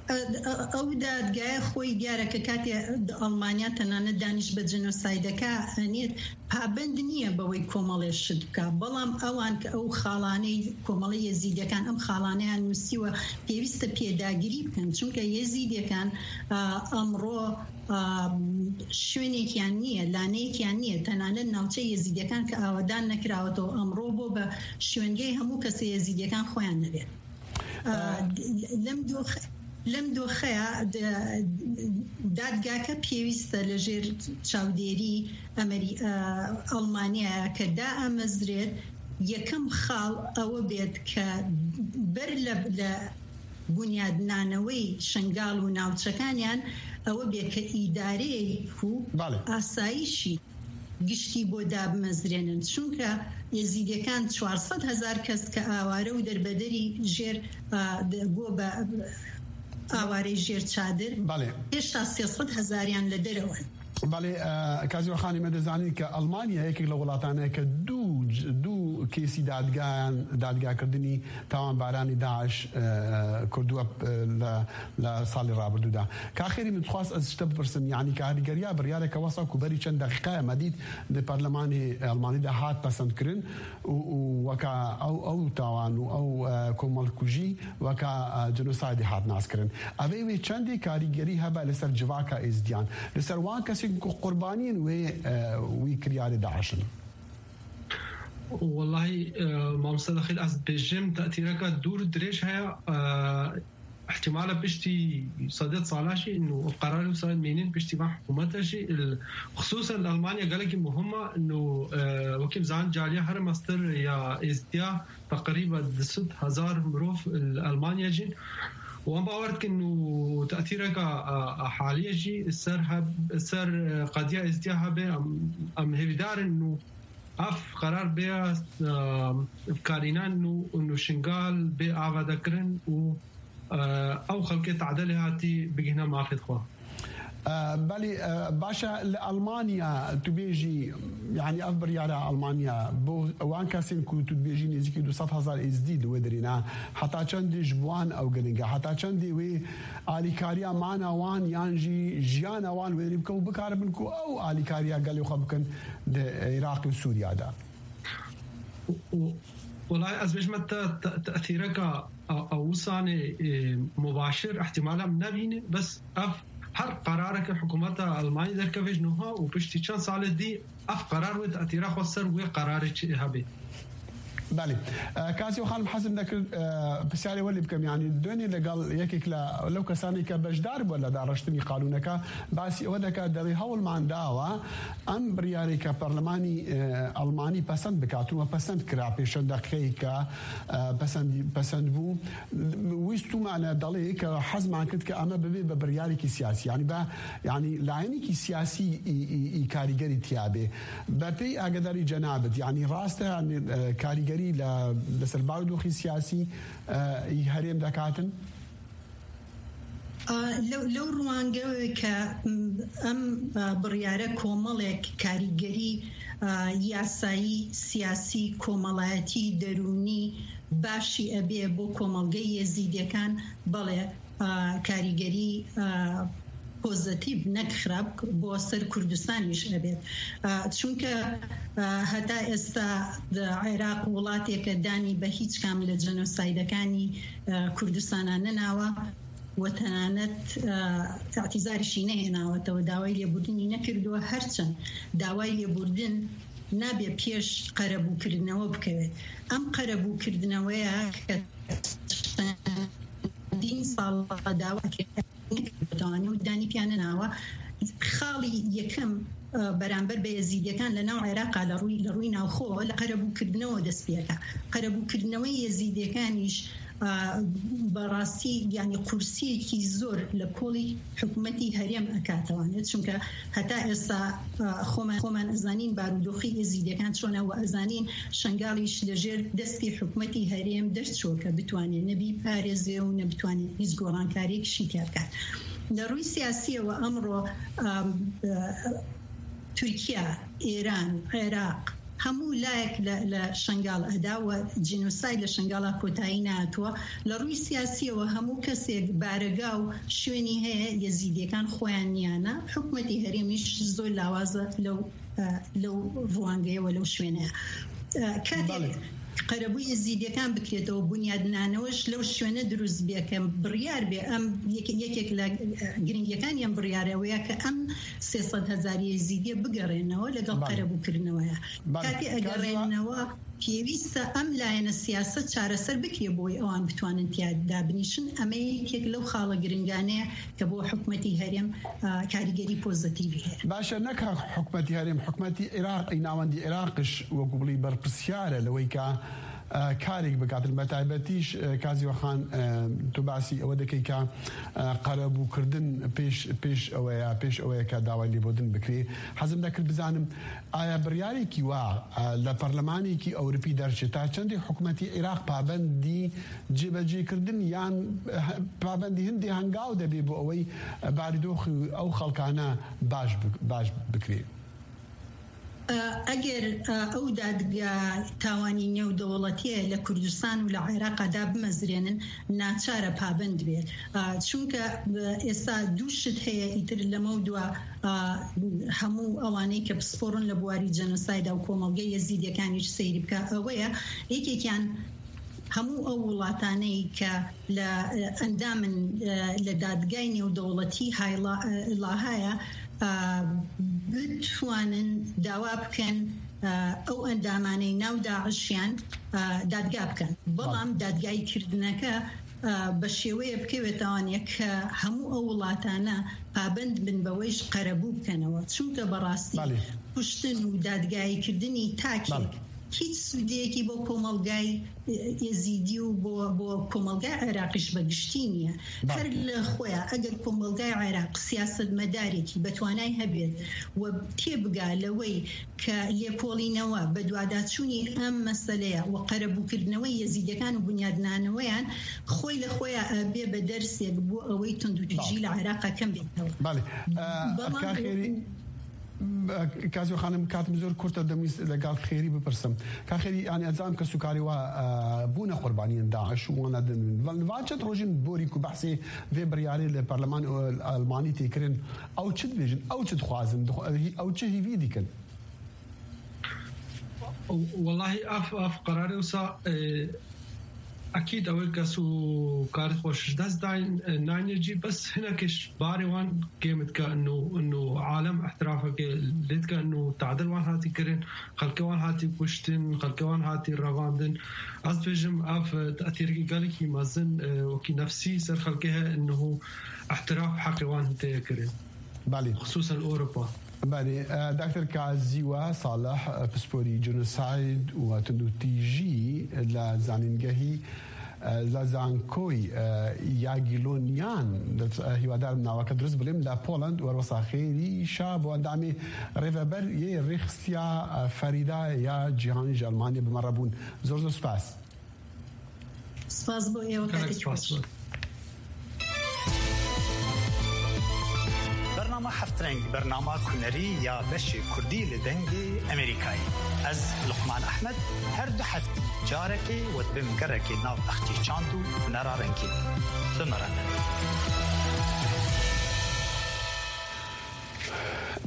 ئە-، ئە-، ئەو دادگایە خۆی دیارە کە کاتێ ئەڵمانیا تەنانەت دانیش بە جنۆسایدەکە ئەنێت، پابند نییە بەوەی کۆمەڵێ شت بکە. بەڵام ئەوان کە ئەو خاڵانەی کۆمەڵی یەزیدیەکان ئەم خاڵانەیان نووسیوە، پێویستە پێداگری بکەن، چونکە یەزیدیەکان، ئا، ئەمڕۆ، ئا، شوێنێکیان نییە، لانەیەکیان نییە. تەنانەت ناوچەی یەزیدیەکان کە ئاوەدان نەکراوەتەوە ئەمڕۆ بۆ بە شوێنگەی هەموو کەسە یەزیدیەکان خۆیان نەبێت. ئا، لەم دۆخ-، لەم دۆخەیە د-، دادگاکە پێویستە لە ژێر چاودێری ئەمەری-، ئا، ئەڵمانیایە کە دائەمەزرێت. یەکەم خاڵ ئەوە بێت کە بەر لە، لە بنیادنانەوەی شنگال و ناوچەکانیان ئەوە بێت کە ئیدارەیەک و بەڵێ. ئاسایشی گشتی بۆ دابمەزرێنن، چونکە ئێزیدیەکان چوار سەد هەزار کەس کە ئاوارە و دەربەدەری ژێر، ئا، د-، بۆ بە ئاوارەی ژێر چادر، بەڵێ. هێشتا سێ سەد هەزاریان لە دەرەوەن. بەڵێ، ئە، کازیوە خانی، مە دەزانین کە ئەڵمانیا یەکێک لە وڵاتانەیە کە دوو ج-، دوو کێسی دادگایان، دادگاکردنی تاوانبارانی داعش، ئە، کردووە، ئە، لە، لە ساڵی ڕابردوودا. کاخێری من دخواست ئەز شتە بپرسم، یعنی کاریگەریا بڕیارێکە وەسا کو بەری چەند دەقیقایە مەدید لە پەرلەمانی ئەڵمانیدا هات پەسەندکردن و، و وەکا ئەو، ئەو تاوان و ئەو، ئە، کۆمەڵکوژی وەکا، ئە، جنۆسایدی هات ناسکردن. ئەوەی وێ چەندی کاریگەری هەبە لەسەر جڤاکە ئێزدیان، لەسەر وان کەسێک کو قوربانین وێ، ئە، وی کریارێ داعشن. وەڵاهی، ئە، مامۆستا دەخیل، ئەز بێژم تەتیرەکە دوور درێژ هەیە، ئە، احتمالە پشتی سەدەت ساڵاشی، ئنو قەراری و ساید مینین پشتی وان حکوومەتەشی، ال-، خصوصاً ئەڵمانیا گەلێکی مهمە، ئنو، ئە، وەکی بزان جالیا هەر مەستر یا ئێزدیا تقریبا دوو سەد هەزار مرۆڤ ال-، ئەڵمانیا ژین. و ئەم باوەرت کن و تەتیرەکە، ئە، ئە، حالیە ژی سەر هەب-، سەر، ئە، قەدیا ئێزدیا هەبێ، ئەم، ئەم هێویدارن و ئەف قەرار بێ، ئە، کارینان و، و شنگال بێ ئاوادەکردن و، ئە، ئەو خەڵکێ تەعدەلێ هاتی بگهنە ماخێت خوا. Belê, e, baş e, li Almanya tu bêjî, yanî ev biryara Almanya bo wan kesên ku tu dibêjî nêzîkî du sed hezar êzdî li wê derê ne, heta çendê ji bo wan ew giring e? Heta çendê wê alîkariya mana wan yan jî jiyana wan wê derê bike û bikaribin ku ew alîkariya gelê xwe bikin di Iraqê û Sûriya de? Û, û, welay ez bêjme te, te, tesîreka a, a wisanê, e, mubaşir ihtimala min nebîne, bes ev her qerareke hikûmeta Almanî derkeve ji niha û piştî çend salê dî ev qerar wê tesîra xwe ser wê qerarê çi hebe. Belê. E, Kazî Xanim, hezim dekir, e, pisyarê welê bikim, yanî dönê legal yekek le, lew kesanê ke beşdar bû le dareştinî qanûneke, basî ewe deke, derê hewlman dawa, em biryarê ke parlemanî, e, Almanî pesend bikat, we pesend kira pêşen deqîqeyê ke, e, pesend, pesend bû. Wî stûmane dalê ke hezman kit ke eme bibê be biryarêkî siyasî. Yanî be, yanî layenîkî siyasî î, î, î karîgerî tiya bê. Be pey agedarî cenabit, yanî rast e, yanî, e, karîgerî le, li ser barodoxî siyasî, e, î herêm dekatin? A, lew, lew ruwangewê ke, m, em, a, biryare komelek karîgerî, a, yasayî, siyasî, komelayetî, derûnî, başî ebê bo komelgeyê Yezîdiyêkan, belê, a, karîgerî, a, pozîtîf, ne xirab, bo ser Kurdistan jî ebê. A, çunke, a, heta êsta di Iraq welateke danî be hîç kam li jenosaydekanî, a, Kurdistana nenawa. We tenanet, e, îtîzarî jî nehênawetewe, dawayê lêbûrdinî nekirdiwe, her çend dawayê lêbûrdin nabe pêş qerebûkirindewe bikeve. Em qerebûkirindeweya ke çendîn sala dawa kir, nekirdiwe, û danî piya nenawe. Xalî yekem, e, beramber bi Yezîdiyêkan li nav Iraqa li rûy, li rûy navxwe, li qerebûkirindewe dest pê dike. Qerebûkirindewe Yezîdiyêkan jî a, berastî, yanî qursiyekî zor li kolî hikûmetî herêm ekatewanê. Çunke heta êsta, a, xwe me, xwe me zanîn barodoxî Êzîdiyêkan çone û ez zanîn Şengalî jî li jêr destê hikûmetî herêm derçû ke bitwanê ne bîparêze û ne bitwanê hîç gorankariyek şî tê bike. Li rûy siyasî ye we emro, a, e, Tirkiye, Îran, Iraq, hemû layek li, li Şengal eda we cînosayd li Şengala kotayî nehatûye. Li rûy siyasî ye we hemû kesek barega û şwênî heye, Yezîdiyêkan xweyan niyane. Hikûmetê herêmî jî zor lawaz e lew, e, lew ruwangeye we lew şwêne ye. E, katek Belê. Qerebû Yezîdiyêkan bikirêt'ewe, bunyadname ji lew şwêne dirûst bê, ke biryar bê. Em yek-, yekek li, e, giringiyêkan yên biryarê wê ye ke em sê sed hezar Yezîdiyê bigerênewe legel Belê. Qerebûkirindeweya. Belê. Katê Kazî egerênewe pêwîst e em layene siyaset çareser bikirê bo wê ewan bitwanin tiya de binîşin. Em ê yekek lew xala giringane ke bo hikûmetî herêm, e, karîgerî pozîtîfî heye. Baş e, ne ka hikûmetî herêm, hikûmetî Iraqî, navendî Iraqî jî wekî belî berpirsiyar e li wê ke, e, karêk bikat. Li me taybetî jî, e, Kazî Xan, e, tu basî ewe dikî ke, e, qerebûkirdin pêş, pêş ewe ye, pêş ewe ye ke dawayê lêbûrdin bikirê. Hezim dekir bizanim, aya biryarekî wa, e, li Perlemanekî Ewropî derçe, ta çendê hikûmetî Iraq pabendî cêbecêkirdin yan, e, pabendî hindê hengaw de bê bo ewey, e, barodoxê ew xelkane baş bi-, baş bikirê? E, eger, e, ew dadgeha tawanî nêwdewletî li Kurdistan û li Iraqa da bimezrênin, naçar e pabend bê. E, çunke, e, êsta du şit heye îtir li me û dua, e, hemû ewanê ke pisporin li buwarî jenosayda û komelgê Yezîdiyêkan jî seyr bike. Ew e, yekekiyan hemû ew welataneyê ke li, e, endam in, e, li dadgehê nêwdewletî Hay La-, e, La Haya, e, bitwanin dawa bikin, e, ew endamaneyê nav DAIŞiyan, e, dadgeh bikin. Belam dadgehîkirdineke, e, bi şêweyê bikeve tawanê ke hemû ew welatane pabend bin be wê jî qerebû bikenewe. Çunke berastî Belê. Kuştin û dadgehîkirdinî takê Belê. هیچ سوودەیەکی بۆ کۆمەڵگای ئێزیدی و بۆ، بۆ کۆمەڵگای عێراقیش بە گشتی نییە. بەڵێ. هەر لە خۆیان ئەگەر کۆمەڵگای عێراق سیاسەتمەدارێکی بە توانای هەبێت و تێبگا لەوەی کە لێکۆڵینەوە بە دواداچوونی ئەم مەسەلەیە و قەرەبووکردنەوەی یەزیدەکان و بنیادنانەوەیان خۆی لە خۆیان ئەبێ بە دەرسێک بۆ ئەوەی توندوتیژی بەڵێ. لە عێراقا کەم بێتەوە. بەڵێ. ئە، بەڵام کاخێری، ئە، کازیۆ خانم، کاتم زۆر کورتە، دەمویست لەگەڵ خێری بپرسم. کاخێری، یانی ئەزام کە سوکاری وا، ئە، بوونە قوربانیین داعش و وانە دن. ڤاچەت ڕۆژین بۆری کو بەحسی ڤێ بڕیارێ لە پەرلەمان ئەلمانی تێکرن. ئەو چ دبێژن؟ ئەو چ دخوازن؟ دخو-، ئەو چ هیوی دیکن؟ Welahi ev, ev qerarê wisa, e, ekîd ew ê kes û karê xwe ji dest dayîn, e, nayîne cî, bes hinekê ji barê wan kêm dike, ino, ino alem îtirafeke lê dike, ino tadil wan hatî kirin, xelkê wan hatî kuştin, xelkê wan hatî revandin. Ez dibêjim, ev, e, tetîrkî gelekî mezin, e, wekî nefsî ser xelkê heye, ino îtiraf heqê wan tê kirin. Belê. Xisûsen Ewropa. Belê, e, Doktor Kazîwa Salih, e, pisporî genosayd û tundûtîjî li zanîngehî, e, li zankoy, e, Yagîloniyan, e, hîwadar naveke dirust bilim, li Poland, werwesa xêrî şa bo endamê rêveber yê rêxistiya, e, Ferîda ya Cîhanî ji Elmanyê bi me re bûn. Zor zor spas. Spas bo êwe, gelek katê spas xweş. Bernama Heft Reng, bernama kunerî ya beşê kurdî li Dengê Emerîkayê. Ez Luqman Ehmed, her du heftî carekê we dibim gerekê nav bexçê çand û hunera rengîn. Bi me re ne.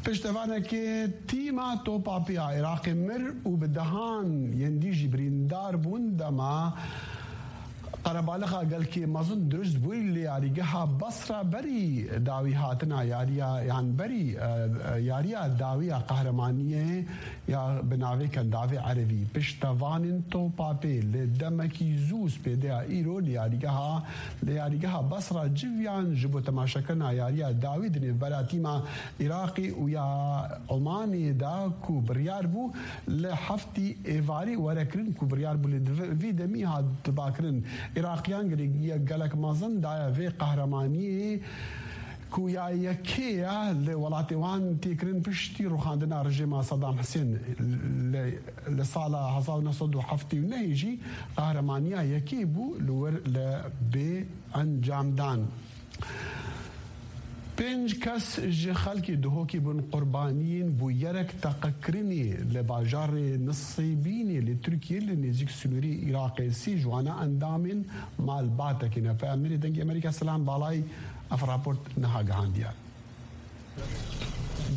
Piştevanekê tîma Topapê ya Iraqê mir û bi dehan yên dî jî birîndar bûn dema qerebalixa gelkê mezin dirust bûy li yarîgeha Basra berî dawî hatina yariya, yan berî, e, e, yariya dawiya qehremaniyê ya bi navê Kendavê Erevî. Piştevanên Topapê li demekî zû spêdeya îro li yarîgeha, li yarîgeha Basra civiyan ji bo temaşekirina yariya dawî di nêvbera tîma Iraqê û ya Omanê de ku biryar bû li heftî êvarî were kirin, ku biryar bû lê di vî demî hat dibakirin. Iraqiyan girêdiya gelek mezin daye vê qehremaniyê ku ya yekê ye li welatê wan tê kirin piştî rûxandina rejîma Saddam Husên li, li sala hezar û neh sed û heftê û nehê jî qehramaniya yekê bû li wir li bê encamdan. Pênc kes ji xelkê Duhokê bûn qurbaniyên bûyerek teqekirinê li bajarê Nisêbînê li Tirkiyê li nêzîk sînorê Iraqê. Sê ji wana endamên malbatekê ne. Peyamnerê Dengê Amerîka Selam Balayî ev raport niha gihandiye.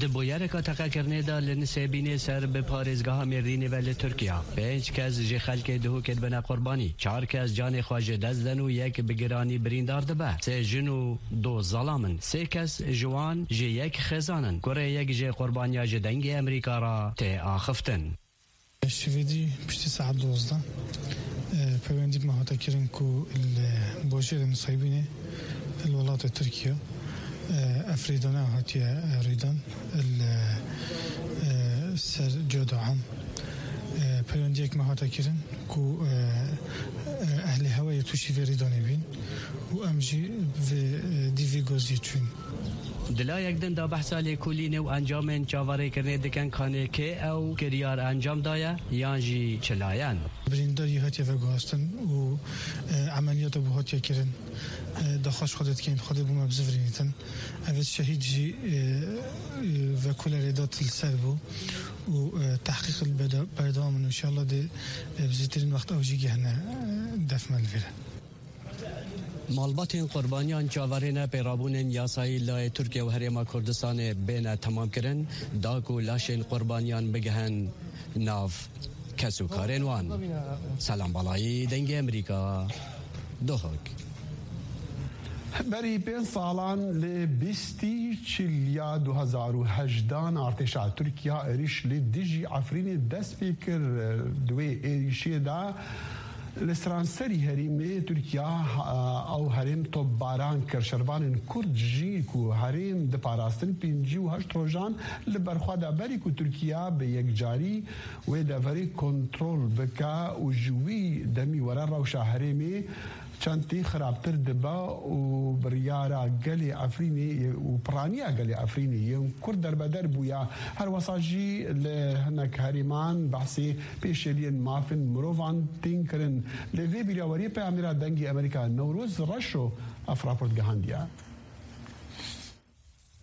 Di bûyereka teqekirinê de li Nisêbînê ser bi parêzgeha Mêrdînê ve li Tirkiya, pênc kes ji xelkê Duhokê dibine qurbanî, çar kes canê xwe ji dest den û yek bi giranî birîndar dibe. Sê jin û du zelam in. Sê kes ji wan ji yek xêzan in. Kurê yek jê qurbaniya ji Dengê Emerîka re tê axiftin. Şivêdî piştî saet dozdeh, e, peyvendî bi me hate kirin ku li bajêrê Nisêbînê, li welatê Tirkiye, e, ev rêdana hatiye, e, rêdan li, e, ser Cado Am. E, peywendiyek me hate kirin ku, e, e, ehlê hewayê tûşî vê rêdanê bîn û em jî vê, e, dî vê gaziyê çûn. Di layek din de behsa lêkolînê û encamên çaverêkirinê dikin, kanê kê ew kiryar encam daye yan jî çi layen. Birîndarî hatiye veguhastin û, e, emeliyata bû hatiye kirin. E, daxwaz ji Xwedê dikin, Xwedê bo me bizivirînitin. Ev şehîd jî, e, e, vekolerê dat li ser bû û, e, tehqîq li beda-, berdewam in. Înşallah dê, e, bi zûtirîn wext ew jî gehne, e, def me li vê re. Malbatên qurbaniyan çaverê ne pêrabûnên yasayî layê Tirkiye û Herêma Kurdistanê bêne temamkirin, da ku laşên qurbaniyan bigihin nav kes û karên wan. Selam Balayî, Dengê Emerîka, Duhok. Berî pênc salan li bîstî çilya du hezar û hejdan artêşa Tirkiya êrîş li dijî Efrînê dest pê kir. Di wê êrîşê de Li seranserî herêmê Tirkiya, ha, ew herêm topbaran kir. Şervanên Kurd jî ku herêm diparastin pêncî û heşt rojan li berxwe de, berî ku Tirkiya bi yekcarî wê deverê kontrol bike û ji wî demî were rewşa herêmê çend tê xirabtir dibe û biryara gelê Efrînê û piraniya gelê Efrînê yên Kurd derbeder bûye. Her wesa jî li hinek herêman behsê pêşeliyên mafên mirovan tên kirin. Lê vê bîraweriyê peyamnêra Dengê Amerîka Newroz Reşo ev raport gihandiye.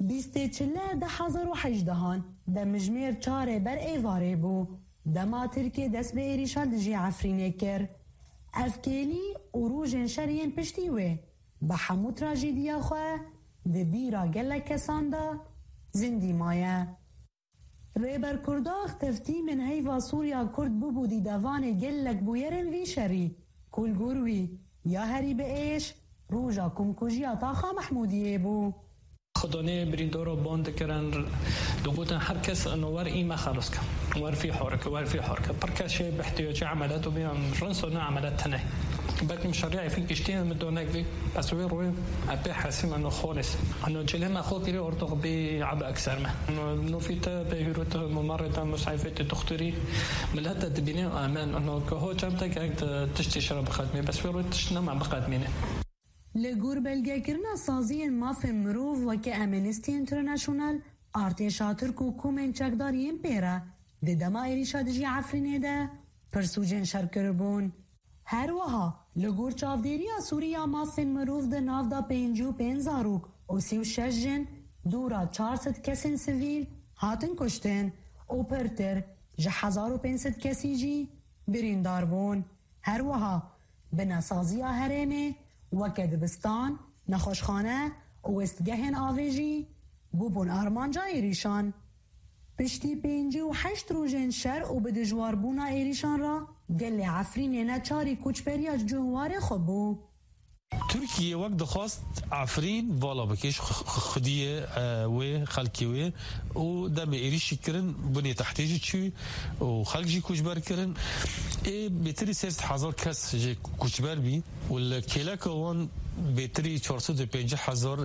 Bîstê Çile du hezar û hejdehan demjimêr çarê ber êvarê bû, dema Tirkiye dest bi êrîşa dijî Efrînê kir. Ev kêlî û rojên şer yên piştî wê bi hemû trajediya xwe di bîra gelek kesan de zindî maye. Rêber Kurdax teftîmên heyva Sûriya Kurd bûbû dîdevanê gelek bûyerên vî şerî, ku li gor wî ya herî bi êş roja komkujiya Taxa Mehmûdiyê bû. Xwedonê birîndoro bon dikirin, digotin her kes ino wer î me xelos ke. Wer fî horik, wer fî horik. Pir kes şê bi ihtiyacê emelet û bînan rinso ne emelet tine. Belkî min şerî Efrîn kiştiye min donek vî. Ez wê rûyê epê hesîm eno xolis. Eno cilê me xo kirî ortox bî ebe ekser me. Eno nofî te bê hûrû te mumarê te musayfê te doktorî. Millet te dibîne amen. Eno ke ho çem te gerek te tiştê şira biqedmê. Bes wê rûyê tişt nema biqedmîne. Li gor belgekirina saziyên mafên mirov weke Amnesty International, artêşa Tirk û komên çekdar yên pê re di dema êrîşa dijî Efrînê de pirsûcên şer kiribûn. Her wiha li gor çavdêriya Sûrî ya mafên mirov di nav de pêncî û pênc zarok û sî û şeş jin, dûra çar sed kesên sivîl hatin kuştin û pirtir ji hezar û pênc sed kesî jî birîndar bûn. Her wiha binesaziya herêmê weke dibistan, nexweşxane û wêstgehên avê jî bûbûn armanca êrîşan. Piştî pêncî û heşt rojên şer û bi dijwarbûna êrîşan re gelê Efrînê neçarî koçberiya ji cihwarê xwe bû. Tirkiye wek dixwest Efrîn vala bike ji xu-, xu-, xwediyê, e, wê, xelkê wê û demê êrîşî kirin, binê tehtê jî çû û xelk jî koçber kirin. Ê bêtirî sê sed hezar kes jê koçber bî û li kêleka wan bêtirî çar sed û pêncî hezar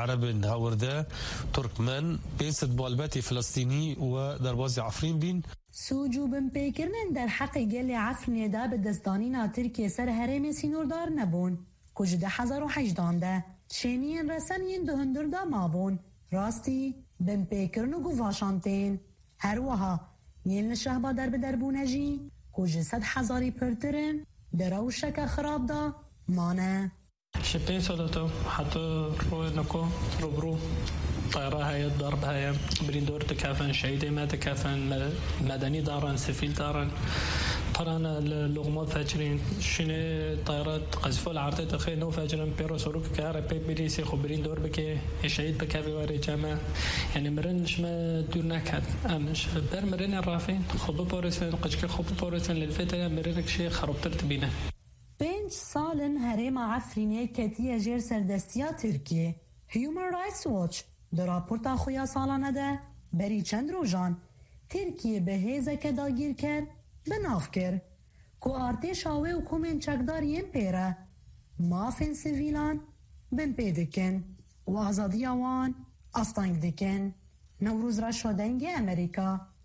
Erebên hewirde, Turkmen, pênc sed malbetê Filistînî we derbazî Efrîn bîn. Sûc û binpêkirinên derheqê gelê Efrînê de bi destdanîna Tirkiyê ser herêmê sînordar nebûn, ku ji du hezar û hejdehan de şêniyên resen yên di hundir de mabûn, rastî binpêkirin û guvaşan tên. Her wiha yên li Şehba derbeder bûne jî, ku ji sed hezarî pirtir in, di rewşeke xirab de mane. Ji pênc sala te heta royê niko rûbirû tayra heye, darb heye, birîndor dikevin, şehîdê me dikevin, me-, medenî darin, sivîl darin. Pirane li loqma vecirîn, şînê tayra qezîfo li erdê dixê, nû vecirin, pê re sorokeke here pê bîlîsê xwe birîndor bike, ê şehîd bikevê werê cem me. Yanî mirin ji me dûr neket. Em ji ber mirinê rafîn, xwe biparêzin, qicikê xwe biparêzin, lê li vê derê mirinek jê xerabtir dibîne. Pênc sal in herêma Efrînê ketiye jêr serdestiya Tirkiyê. Human Rights Watch di raporta xwe ya salane de berî çend rojan Tirkiyê bi hêzeke dagîrker bi nav kir, ku artêşa wê û komên çekdar yên pê re mafên sivîlan binpê dikin û azadiya wan asteng dikin. Newroz Reşo, Dengê Amerîka.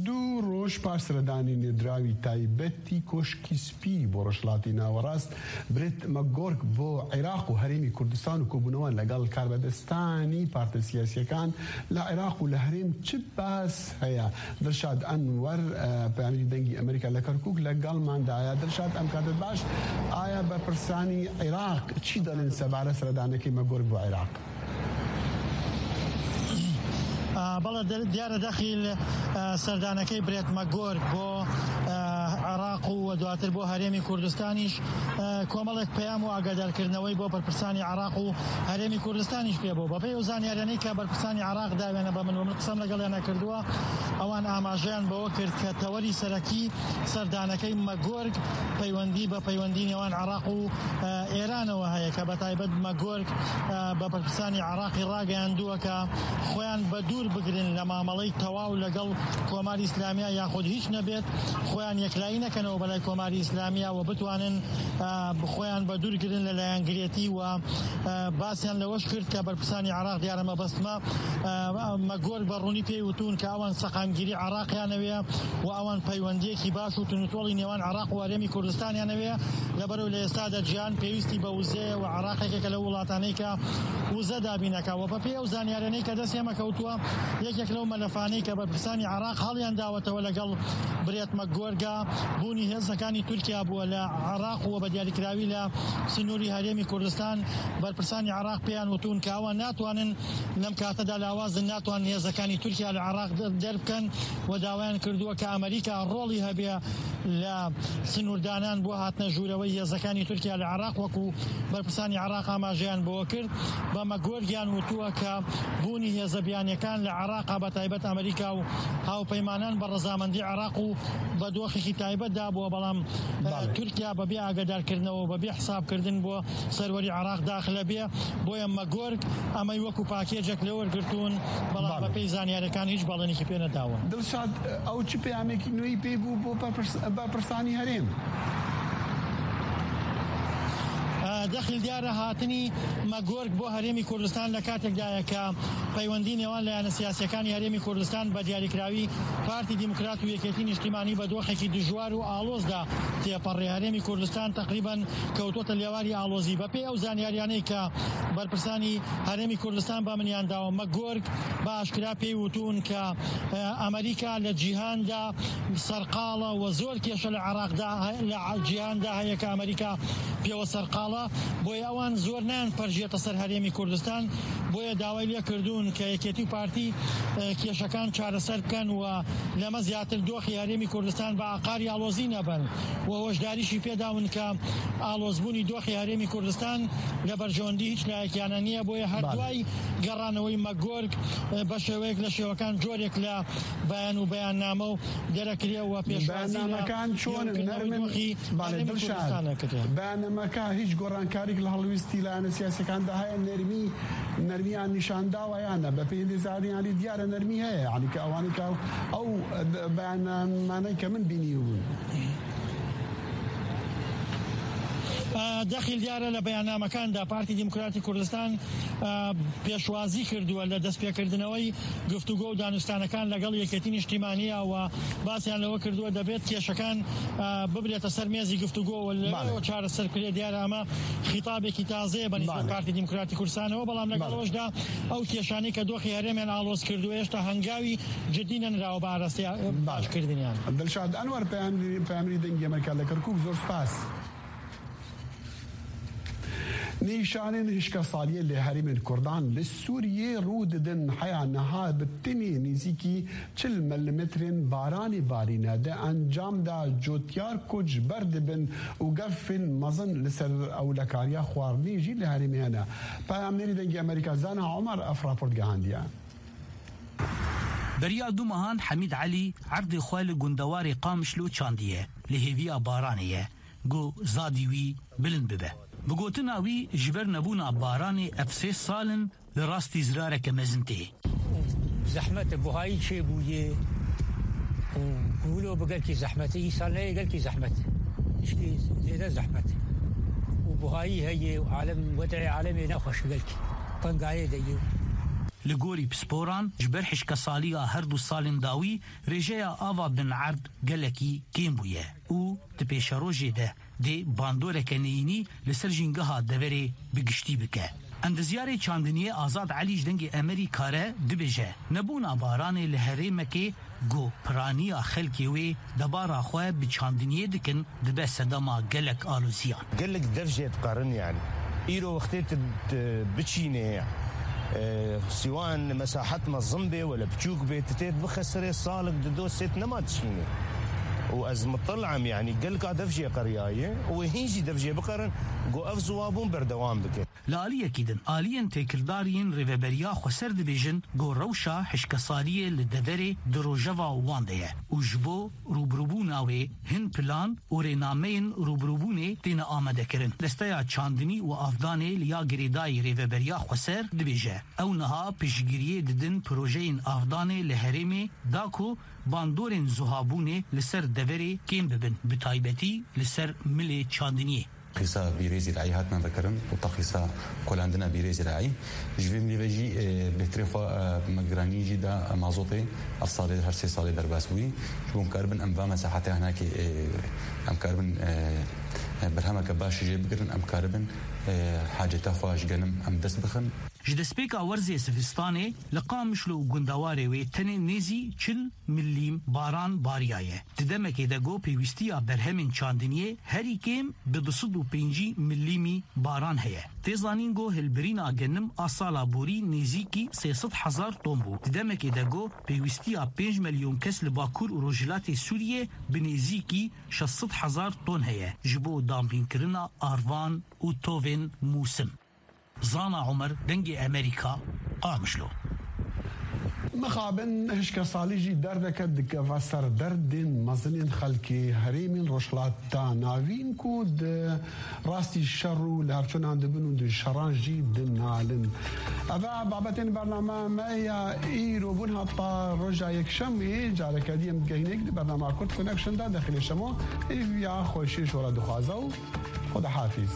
Du roj paş seredanî nêdrawî taybetî Koşkî Spî bo Rojhilatî Nawerast, Brett McGurk bo Iraq û Herêmî Kurdistan û kobûnewan legal karbedistanî partê siyasiyekan li Iraq û li herêm çi bas heye? Dilşad Enwer, e, peyamîrî Dengî Amerîka li Kerkûk, legal man daye. Dilşad, em katet baş, aya berpirsanî Iraq çi dalin sebare seredanekî McGurk bo Iraq? ئا، بەڵێ، دە-، دیارە دەخیل، ئا، سەردانەکەی برێت مەگۆرک بۆ، ئا، عێراق و دواتر بۆ هەرێمی کوردستانیش، ئە، کۆمەڵێک پەیام و ئاگادارکردنەوەی بۆ بەرپرسانی عێراق و هەرێمی کوردستانیش پێ بوو. بەپێی ئەو زانیاریانەی کە بەرپرسانی عێراق داوێنە بە من و من قسەم لەگەڵیانە کردووە، ئەوان ئاماژەیان بەوە کرد کە تەوەری سەرەکی سەردانەکەی مەگۆرگ پەیوەندی بە پەیوەندی نێوان عێراق و، ئە، ئێرانەوە هەیە کە بە تایبەت مەگۆرگ، ئە، بە بەرپرسانی عێراقی ڕاگەیاندووە کە خۆیان بە دوور بگرن لە مامەڵەی تەواو لەگەڵ کۆماری ئیسلامیە یاخود هیچ نەبێت، خۆیان یەکلایی نەکەنەوە بەلای کۆماری ئیسلامیە و بتوانن، ئە، خۆیان بە دوور گرن لە لایەنگرێتی و، ئە، باسیان لەوەش کرد کە بەرپرسانی عێراق دیارە مەبەستمە، ئە، مەگۆرگ بە ڕوونی پێی وتون کە ئەوان سەقامگیری عێراقیانەوێ و ئەوان پەیوەندیەکی باش و تونوتۆڵی نێوان عێراق و هەرێمی کوردستانیانەوێ، لەبەرەوە لە ئێستادا جیهان پێویستی بە وزەیە و عێراق یەکێکە لەو وڵاتانەی کە وزە دابینەکە. و بەپێی ئەو زانیارانەی کە دەست ئێمە کەوتووە، یەکێک لەو مەلەفانەی کە بەرپرسانی عێراق هەڵیان داوەتەوە لەگەڵ برێت مەگۆرگا بوونی هێزەکانی تورکیا بووە لە عێراق و بە دیاریکراوی لە سنووری هەرێمی کوردستان. بەرپرسانی عێراق پێیان وتون کە ئەوان ناتوانن لەم کاتەدا لاوازن، ناتوانن هێزەکانی تورکیا لە عێراق دە-، دەربکەن و داوایان کردووە کە ئەمریکا ڕۆڵی هەبێ لە سنووردانان بۆ هاتنە ژوورەوەی هێزەکانی تورکیا لە عێراق، وەکو بەرپرسانی عێراق ئاماژەیان بۆ کرد. بە مەگۆرگیان وتووە کە بوونی هێزە بیانیەکان لە عێراقا، بە تایبەت ئەمریکا و هاوپەیمانان، بە ڕەزامەندی عێراق و بە دۆخێکی تایبەتدا بووە، بەڵام، ئە، بەڵێ. تورکیا بەبێ ئاگادارکردنەوە و بەبێ حسابکردن بۆ سەروەری عێراق داخلە بێ. بۆیە مەگۆرگ ئەمەی وەکو پاکێجێک لێ وەرگرتوون، بەڵام بەڵێ. بەپێی زانیارەکان هیچ بەڵێنێکی پێ نەداون. دڵشاد، ئەو چ پەیامێکی نوێی پێی بوو بۆ بەپرس-، بەپرسانی هەرێم؟ ئە، دەخیل دیارە هاتنی مەگۆرگ بۆ هەرێمی کوردستان لە کاتێکدایە کە پەیوەندی نێوان لایەنە سیاسیەکانی هەرێمی کوردستان بە دیاریکراوی پارتی دیموکرات و یەکێتی نیشتیمانی بە دۆخێکی دژوار و ئاڵۆزدا تێپەڕێ. هەرێمی کوردستان تەقریبەن کەوتوتە لێواری ئاڵۆزی. بەپێی ئەو زانیاریانەی کە بەرپرسانی هەرێمی کوردستان بە منیان داوە، مەگۆرگ بە ئاشکرا پێی وتون کە، ئە، ئەمریکا لە جیهاندا سەرقاڵە و زۆر کێشە لە عێراقدا هە-، لە ع-، جیهاندا هەیە کە ئەمریکا پێوە سەرقاڵە. بۆیە ئەوان زۆر نان پەرژێتە سەر هەرێمی کوردستان. بۆیە داوای لێ کردوون کە یەکێتی و پارتی، ئە، کێشەکان چارەسەر بکەن و لەمە زیاتر دۆخی هەرێمی کوردستان بە ئاقاری ئاڵۆزی نەبن و هۆشداریشی پێداون کە ئاڵۆزبوونی دۆخی هەرێمی کوردستان لە بەرژەوەندی هیچ لایەکیانە نییە. بۆیە هەر بەڵێ. دوای گەڕانەوەی مەگۆرگ، ئە، بە شێوەیەک لە شێوەکان جۆرێک لە بەیان و بەیاننامە و دەرەکرێ و پێشوازی لە بەیاننامەکان چۆنن؟ نرمن؟ دۆخی بەڵێ، هەرێمی دڵشاد. کوردستان نەکرێ. بەیاننامەکە هیچ گۆڕانکاریک لە هەڵویستی لایەنە سیاسیەکاندا هەیە؟ نەرمی، نەرمیان نیشان داوە یان نە؟ بە پێی هەندێک زانیاری دیارە نەرمی هەیە، یعنی کە ئەوانەی کە ئەو بەیاننامانەی کە من بینی بوون. ئە، دەخیل دیارە لە بەیاننامەکاندا پارتی دیموکراتی کوردستان، ئە، پێشوازی کردووە لە دەستپێکردنەوەی گفتوگۆ و دانوستانەکان لەگەڵ یەکێتی نیشتیمانیە و باسیان لەوە کردووە دەبێت کێشەکان، ئە، ببرێتە سەر مێزی گفتوگۆ و لەوێ بەڵێ. چارەسەر کرێت. دیارە ئەمە خیتابێکی تازەیە بە نسبەت بەڵێ. پارتی دیموکراتی کوردستانەوە، بەڵام لەگەڵ بەڵێ. ئەوشدا ئەو کێشانەی کە دۆخی هەرێمیان ئاڵۆز کردووە هێشتا هەنگاوی جدی نەنراوە بە ئاراستەی، ئە، بەڵێ. باشکردنیان. دڵشاد ئەنوەر، پەیامنێری، پەیامنێری دەنگی ئەمریکا لە کەرکووک، زۆر سپاس. نیشانên hişkesaliyê li herêmên Kurdan li Sûriyê rû didin. Heya niha bi tinê nêzîkî çil milimetrên baranê barîne. Di encam de cotyar koç ber dibin û gefên mezin li ser ewlekariya xwarinê jî li herêmê hene. Peyamnêrî Dengê Amerîka Zana Omer ev raport gihandiye. Beriya du mehan Hemîd Elî erdê xwe li gundewarê Qamişlo çandiye, li hêviya baranê ye. Ku zadî wî bilind bibe. Bi gotina wî, ji ber nebûna baranê ev sê sal in li rastî zirareke mezin tê. Zehmet e, buhayî çêbûye û wilo bi gelkî zehmet e. Îsal neyê gelkî zehmet e. Tişkî zêde zehmet e. Û buhayî heye û alem, wed'ê alemê nexweş e gelkî. Tengayê de ye. Li gorî pisporan, ji ber hişkesaliya her du salên dawî, rêjeya ava bin erd gelekî kêm bûye û di pêşerojê de dê bandoreke neyînî li ser jîngeha deverê bi giştî bike. Endezyarê çandiniyê Azad Elî ji Dengê Emerîka re dibêje, nebûna baranê li herêmekê ku piraniya xelkê wê debara xwe bi çandiniyê dikin, dibe sedema gelek aloziyan. Gelek dev jê diqerin yani. Îro wextê tu, tu biçînê, e, siwan mesahet mezin bê wele biçûk bê, tu tê bixe serê salek di do sêt nema dişînê. û ez mutlim, yanî gelka dev jê qeriyaye û wê hîn jî dev jê biqerin ku ev ziwabûn berdewam bike. Li aliyekî din, aliyên têkildar yên Rêveberiya Xweser dibêjin ku rewşa hişkesaliyê li deverê di rojeva wan de ye û ji bo rûbirûbûna wê hin plan û rênameyên rûbirûbûnê têne amadekirin. Desteya Çandinî û Avdanê li ya girêdayî Rêveberiya Xweser dibêje, ew niha piştgiriyê didin projeyên avdanê li herêmê da ku bandorên zuhabûnê li ser deverê kêm bibin, bi taybetî li ser milê çandiniyê. Qîsa bîrê zîrayî hatine vekirin û texlîsa kolandina bîrê zîrayî. Ji vê milî ve jî, e, bêhtirê xwe, e, me giranî jî da mazotê. Ev salê, her sê salê derbas bûyî. Ji bo em karibin em va mesahetê hinekê, e, em karibin, e, e, berhemeke baş jê bigirin, em karibin, e, haceta xwe ji genim em dest bixin. Ji destpêka werzê zivistanê li Qamişlo û gundewarê wê tenê nêzî çil milîm baran bariyaye. Di demekê de ku pêwîstiya berhemên çandiniyê herî kêm bi du sed û pêncî milîmî baran heye. Tê zanîn ku hilbirîna genim a sala borî nêzîkî sê sed hezar ton bû. Di demekê de ku pêwîstiya pênc milyon kes li Bakur û Rojhilatê Sûriyê bi nêzîkî şeş sed hezar ton heye ji bo dampînkirina arvan û tovên mûsim. Zana Omer, Dengê Emerîka, Qamişlo. Mixabin hişkesalî jî derdeke dikeve ser derdên mezinên xelkê herêmên Rojhilata Navîn ku di rastî şer û lihevçûnan dibin û di şeran jî dinalin. Ev e babetên bername me ya îro bûn heta roja Yekşemê. Careke dî em digehînê di bernama Kurd Connection de dexilê şemo. Hêviya xweşiyê ji we re dixwaze û Xwedahafîz.